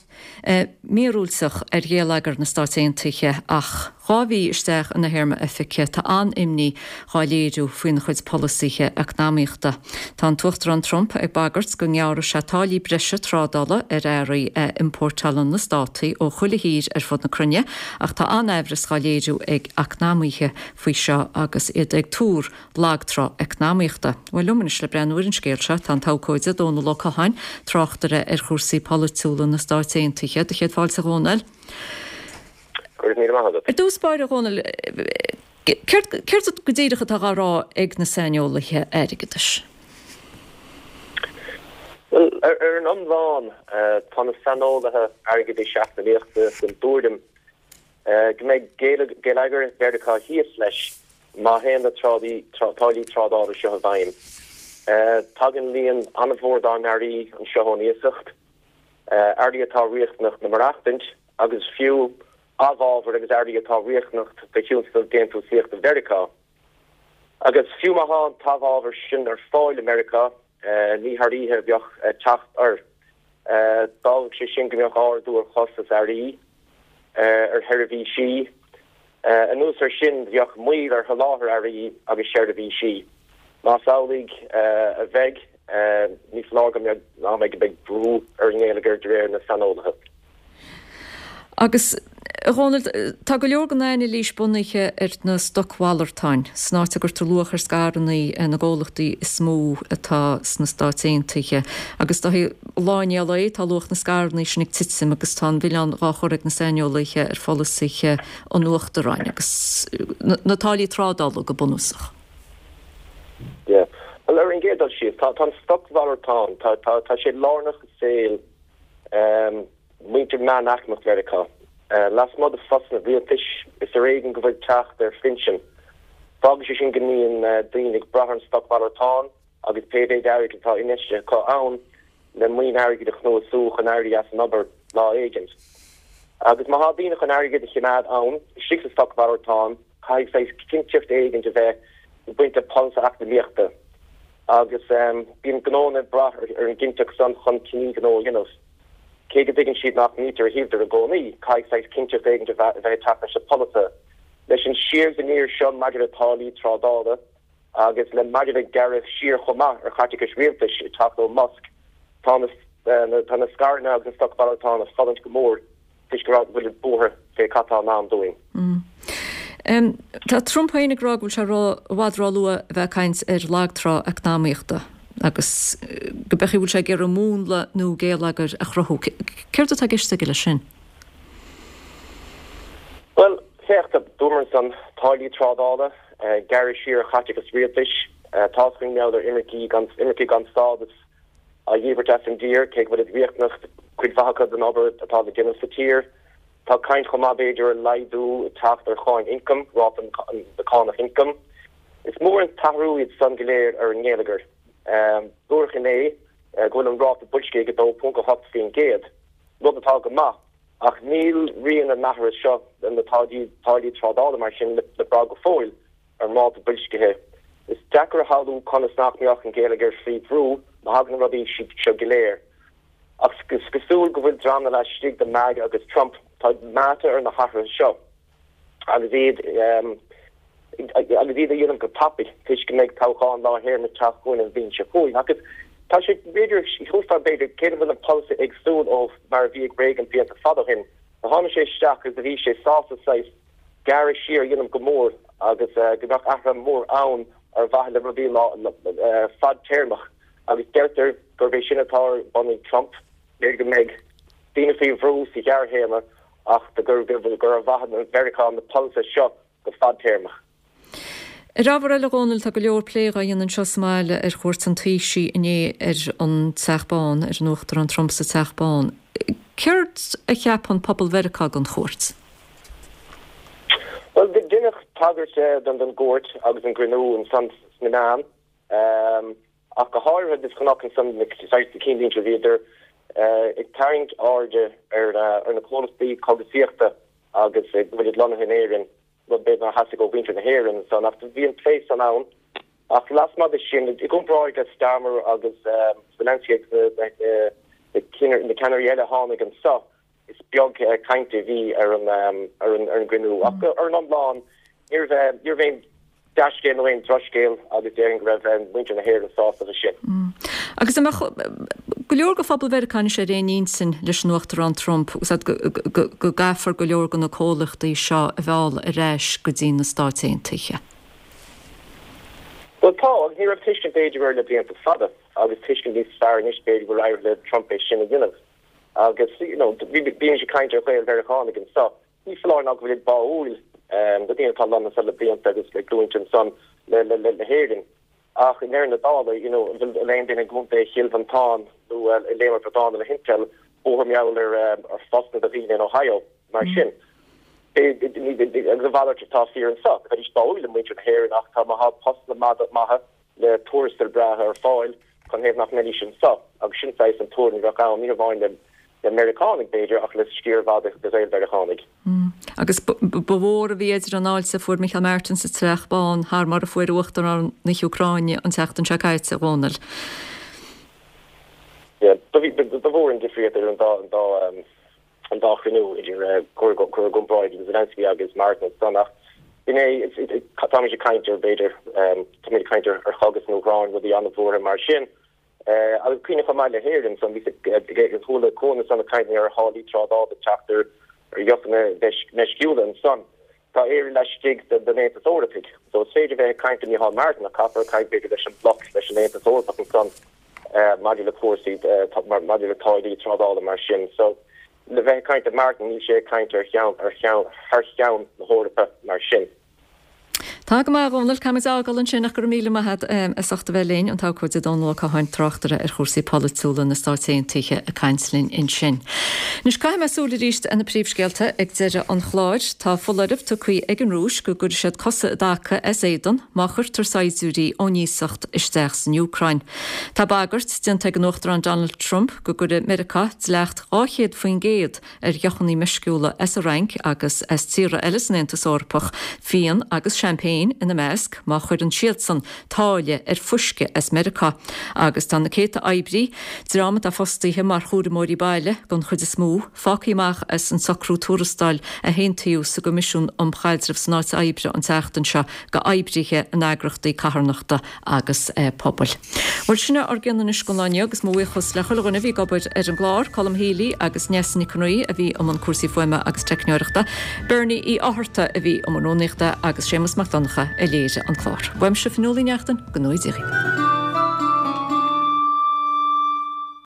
míorúilteach ar gheilleagar na Stáit Aontaithe ach 2 mhí isteach ina théarma oifige tá an-imní dhá léiriú faoina chuid polasaithe eacnamaíochta. Tá an tUachtarán Trump ag bagairt go ngearrfaidh sé táillí breise trádála ar earraí a iompórtálann na Státaí ó chuile thír ar fud na cruinne ach tá an-aimhreas dhá léiriú ag eacnamaithe faoi seo agus iad ag tuar lagtrá eacnamaíochta. Bhuel, liom anois le breathnú ar an scéal seo tá an t-abhcóide Dónall Ó Catháin, tráchtaire ar chúrsaí polaitiúla na Stáit Aontaithe. Do chéad fáilte a Dhónaill.
Go raibh míle maith agat.
Ar dtús báire, a Dhónaill, céard, céard go díreach atá dhá rá ag na saineolaithe airgeadais?
Bhuel, ar an iomlán, tá na saineolaithe airgeadais eacnamaíochta den tuairim go mbeidh geilleagar Mheiriceá thíos leis má théann na táillí trádála seo i bhfeidhm. Tagann líon an-mhór dár n-earraí anseo ón iasacht, earraí atá riachtanach le maireachtaint agus fiú amhábhair agus earraí atá riachtanach do thionscal déantúsaíochta Mheiriceá. Agus fiú má tá an t-amhábhar sin ar fáil i Meiriceá, ní thar oíche a bheadh teacht air. D'fhágfadh sé sin go mbeadh ardú ar chostas earraí, ar sheirbhísí. Anuas air sin, bheadh moill ar sholáthar earraí agus seirbhísí. Más amhlaidh a bheidh, ní foláir go mbeidh go mbeidh brú ar an ngeilleagar de réir na saineolaithe.
Agus, a Dhónaill, tá go leor den anailís bunaithe ar na stocmhalartáin, san áit a gcuirtear luach ar scaireanna na gcomhlachtaí is mó atá sna Stáit Aontaithe. Agus is dóichí, lá i ndiaidh lae, tá luach na scaireanna sin ag titim agus tá an milleán dhá chur ag na saineolaithe ar pholasaithe an Uachtaráin agus na táillí trádála go bunúsach.
Yeah. Bhuel, ar an gcéad dul síos, tá an stocmhalartán, tá sé lárnach i saol muintir meánaicmeach Mheiriceá. Lasmuigh de phostanna rialtais, is ar éigean go bhfuil teacht ar phinsean. Fágann sé sin go mbíonn daoine ag brath ar an stocmhalartán agus pé mhéid airgid atá infheistithe acu ann. Le maoin airgid a chnuasú chun éirí as an obair lá éigint. Agus má thá daoine chun airgead a chimeád ann istigh sa stocmhalartán, caithfidh saghas cinnteacht éigint a bheith ag baint le polasaithe eacnamaíochta. Agus bíonn gnóanna ag brath ar an gcinnteacht san chun cinní gnó a dhéanamh. Cé go dtuigeann siad nach mbítear ar thaobh i gcónaí, caithfidh saghas cinnteacht éigint a bheith ag teacht leis na polasaithe. Leis an siar is aniar seo maidir le táillí trádála, Agus le maidir le gearradh siar chomh maith ar chaiteachais rialtais ag teacht ó Musk, tá na tá na scaireanna agus na stocmhalartáin ag fulaingt go mór toisc go bhfuil buartha fé cad tá i ndán dúinn.
Tá Trump féin ag rá go bhfuil sé ró i bhfad ró-luath a bheith ag caint ar lagtrá eacnamaíochta agus go b'fhéidir go bhfuil sé ag iarraidh múnla nua géilleagair a chruthú. Céard atá i gceist aige leis sin?
Bhuel, féach, dúramar ansan, táillí trádála, gearradh siar ar chaiteachas rialtais, tá's againn mar gheall ar imircigh gan, imircigh gan stádas á dhíbirt as an dtír, cé go bhfuilid riachtanach, cuid mhaith acu don obair atá le déanamh sa tír. Tá caint chomh maith, b'fhéidir, ar laghdú ag teacht ar cháin ioncaim, ráta na cánach ioncaim. Is mór an t-athrú iad san go léir ar an ngeilleagar. Dúradh inné go bhfuil an ráta boilscithe ag 2.8%. rud atá go maith, ach níl rian na n-athruithe seo, na táillí trádála mar sin, le brath go fóill ar an ráta boilscithe. Is deacair a shamhlú conas nach mbeadh an geilleagar faoi bhrú má thagann na rudaí seo go léir. Ach is cosúil go bhfuil dreamanna laistigh de MAGA agus Trump, tá meáite ar na hathruithe seo. agus iad agus iad a dhéanamh go tapaidh toisc go mbeidh toghchán lár théarma ag teacht chugainn an bhliain seo chugainn. Agus tá sé, b'fhéidir, shílfeá b'fhéidir, cé go bhfuil an polasaí éagsúil ó mar a bhí ag Reagan blianta fada ó shin, do tháinig sé isteach agus do bhí sé sásta saghas gearradh siar a dhéanamh go mór agus go mbeadh athruithe mór ann ar mhaithe le rudaí fadtéarmach agus deirtear gurb é sin atá ar bun ag Trump, b'fhéidir go mbeidh daoine faoi bhrú sa ghearrthéarma ach gur gur ar mhaithe le Meiriceá na polasaithe seo go fadtéarmach.
Ar ábhar eile, a Dhónaill, tá go leor plé dhá dhéanamh anseo sa mbaile ar chuairt an Taoisigh inné ar an Teach Bán, ar an Uachtarán Trump sa Teach Bán. Céard a cheapann pobal Mheiriceá den chuairt?
Bhuel, deineadh tagairt don gcuairt agus an gcruinniú ansan sna meáin. Ach go háirithe de chonac ansan na saghas cinnlínte bhíodar ag tarraingt airde ar na comhlachtaí cógaisíochta agus go bhfuilid lonnaithe in Éirinn, rud b'fhéidir nár theastaigh ó mhuintir na hÉireann ansan ach bhí an plé san ann. Ach lasmuigh de sin, i gcomparáid le Starmer agus Zelensky agus na ceannairí eile a tháinig anso, is beag cainte a bhí ar an gcruinniú. Ach ar an iomlán, ní raibh aon dea-scéal nó aon drochscéal agus déarfainn go raibh muintir na hÉireann sásta leis sin.
Agus an mbeadh go leor de phobal Mheiriceá anois ar aon intinn leis an Uachtarán Trump go gcaithfear go leor de na comhlachtaí seo a mhealladh ar ais go dtí na Stáit Aontaithe?
Bhuel tá, agus ní raibh tuiscint b'fhéidir air le blianta fada agus tuiscint níos fearr anois b'fhéidir go bhfuil éirithe le Trump é sin a dhéanamh. Agus, you know, bímid ag caint ar Ghael-Mheiriceánaigh anso. Ní foláir ná go bhfuilid báúil do daoine atá lonnaithe anso le blianta agus le glúinte ansan le, le, le hÉirinn. Ach i ndeireadh na dála, you know, an bhfuil aon duine i gContae Chill Mhantáin nó ag léamh ar Bhradán le hIntel buartha mar gheall ar, ar phostanna do dhaoine in Ohio mar sin? Agus a mhalairt atá fíor anso. Bheidís báúil le muintir na hÉireann ach tá, má thá postanna maithe le tuarastail breátha ar fáil canathaobh nach mbeidís anso agus sin saghas an tuairim a bheadh ann, ní hamháin le Meiriceánaigh b'fhéidir ach le sciar mhaith de Ghael-Mheiriceánaigh.
Agus ba mhór a bhí idir an fháilte a fuair Micheál Martin sa Teach Bán thar mar a fuair Uachtarán na hÚcráine an tseachtain seo caite, a Dhónaill.
Yeah, ba mhór an difríocht idir an dá an dá chruinniú idir cur i gcomparáid Zelensky agus Martin ansan ach b'in é, táimid ag caint ar b'fhéidir, táimid ag caint ar chogadh san Úcráin, rudaí an-bhuartha mar sin. Agus cuimhnigh chomh maith le hÉirinn ansan, bhí chuala Cuan ansan ag caint ar tháillí trádála ag teacht ar dheochanna meisciúla ansan. Tá Éire laistigh den Aontas Eorpaigh so is féidir bheith ag caint le Micheál Martin ach caithfear caint b'fhéidir leis an mbloc, leis an Aontas Eorpach ansan. maidir le cúrsaí, maidir le táillí trádála mar sin. So, le bheith ag caint le Martin, níl sé ag caint ar cheann, ar cheann, thar cheann na hEorpa mar sin.
Tá go maith, a Dhónaill. Caithfimid a fhágáil ansin ach go raibh míle maith agat as ucht a bheith linn, an t-abhcóide Dónall Ó Catháin, tráchtaire ar chúrsaí polaitiúla na Stáit Aontaithe ag caint linn ansin. Anois caithfidh mé súil arís ar na príomhscéalta ag deireadh an chláir. Tá foláireamh tugtha ag an Rúis go gcuirfidh siad cosa i dtaca as éadan má chuirtear saighdiúirí ón iasacht isteach san Úcráin. Tá bagairt déanta ag an Uachtarán Donald Trump go gcuirfidh Meiriceá dleacht 200% ar dheochanna meisciúla as an Fhrainc agus as tíortha eile san Aontas Eorpach, fíon agus seaimpéin ina measc, má chuireann siadsan táille ar fuisce as Meiriceá. Agus tá na céadta oibrí, dream atá fostaithe mar chúramóirí baile den chuid is mó, fágtha amach as an socrú tuarastail a haontaíodh sa gCoimisiún um Chaidreamh san Áit Oibre an tseachtain seo go oibrithe in eagrachtaí carthanachta agus pobail. Bhuel, sin é ár gcion anois don lá inniu agus mo bhuíochas le chuile dhuine a bhí ag obair ar an gclár, Colm Healy agus Neasa Nic an Rí a bhí i mbun cúrsaí fuaime agus teicneoireachta, Bernie Uí Fhátharta a bhí i mbun rúnaíochta agus Séamus Mac Donncha a léirigh an clár. Uaimse Fionnuala Ní Neachtain, go ngnóthaí Dia dhaoibh.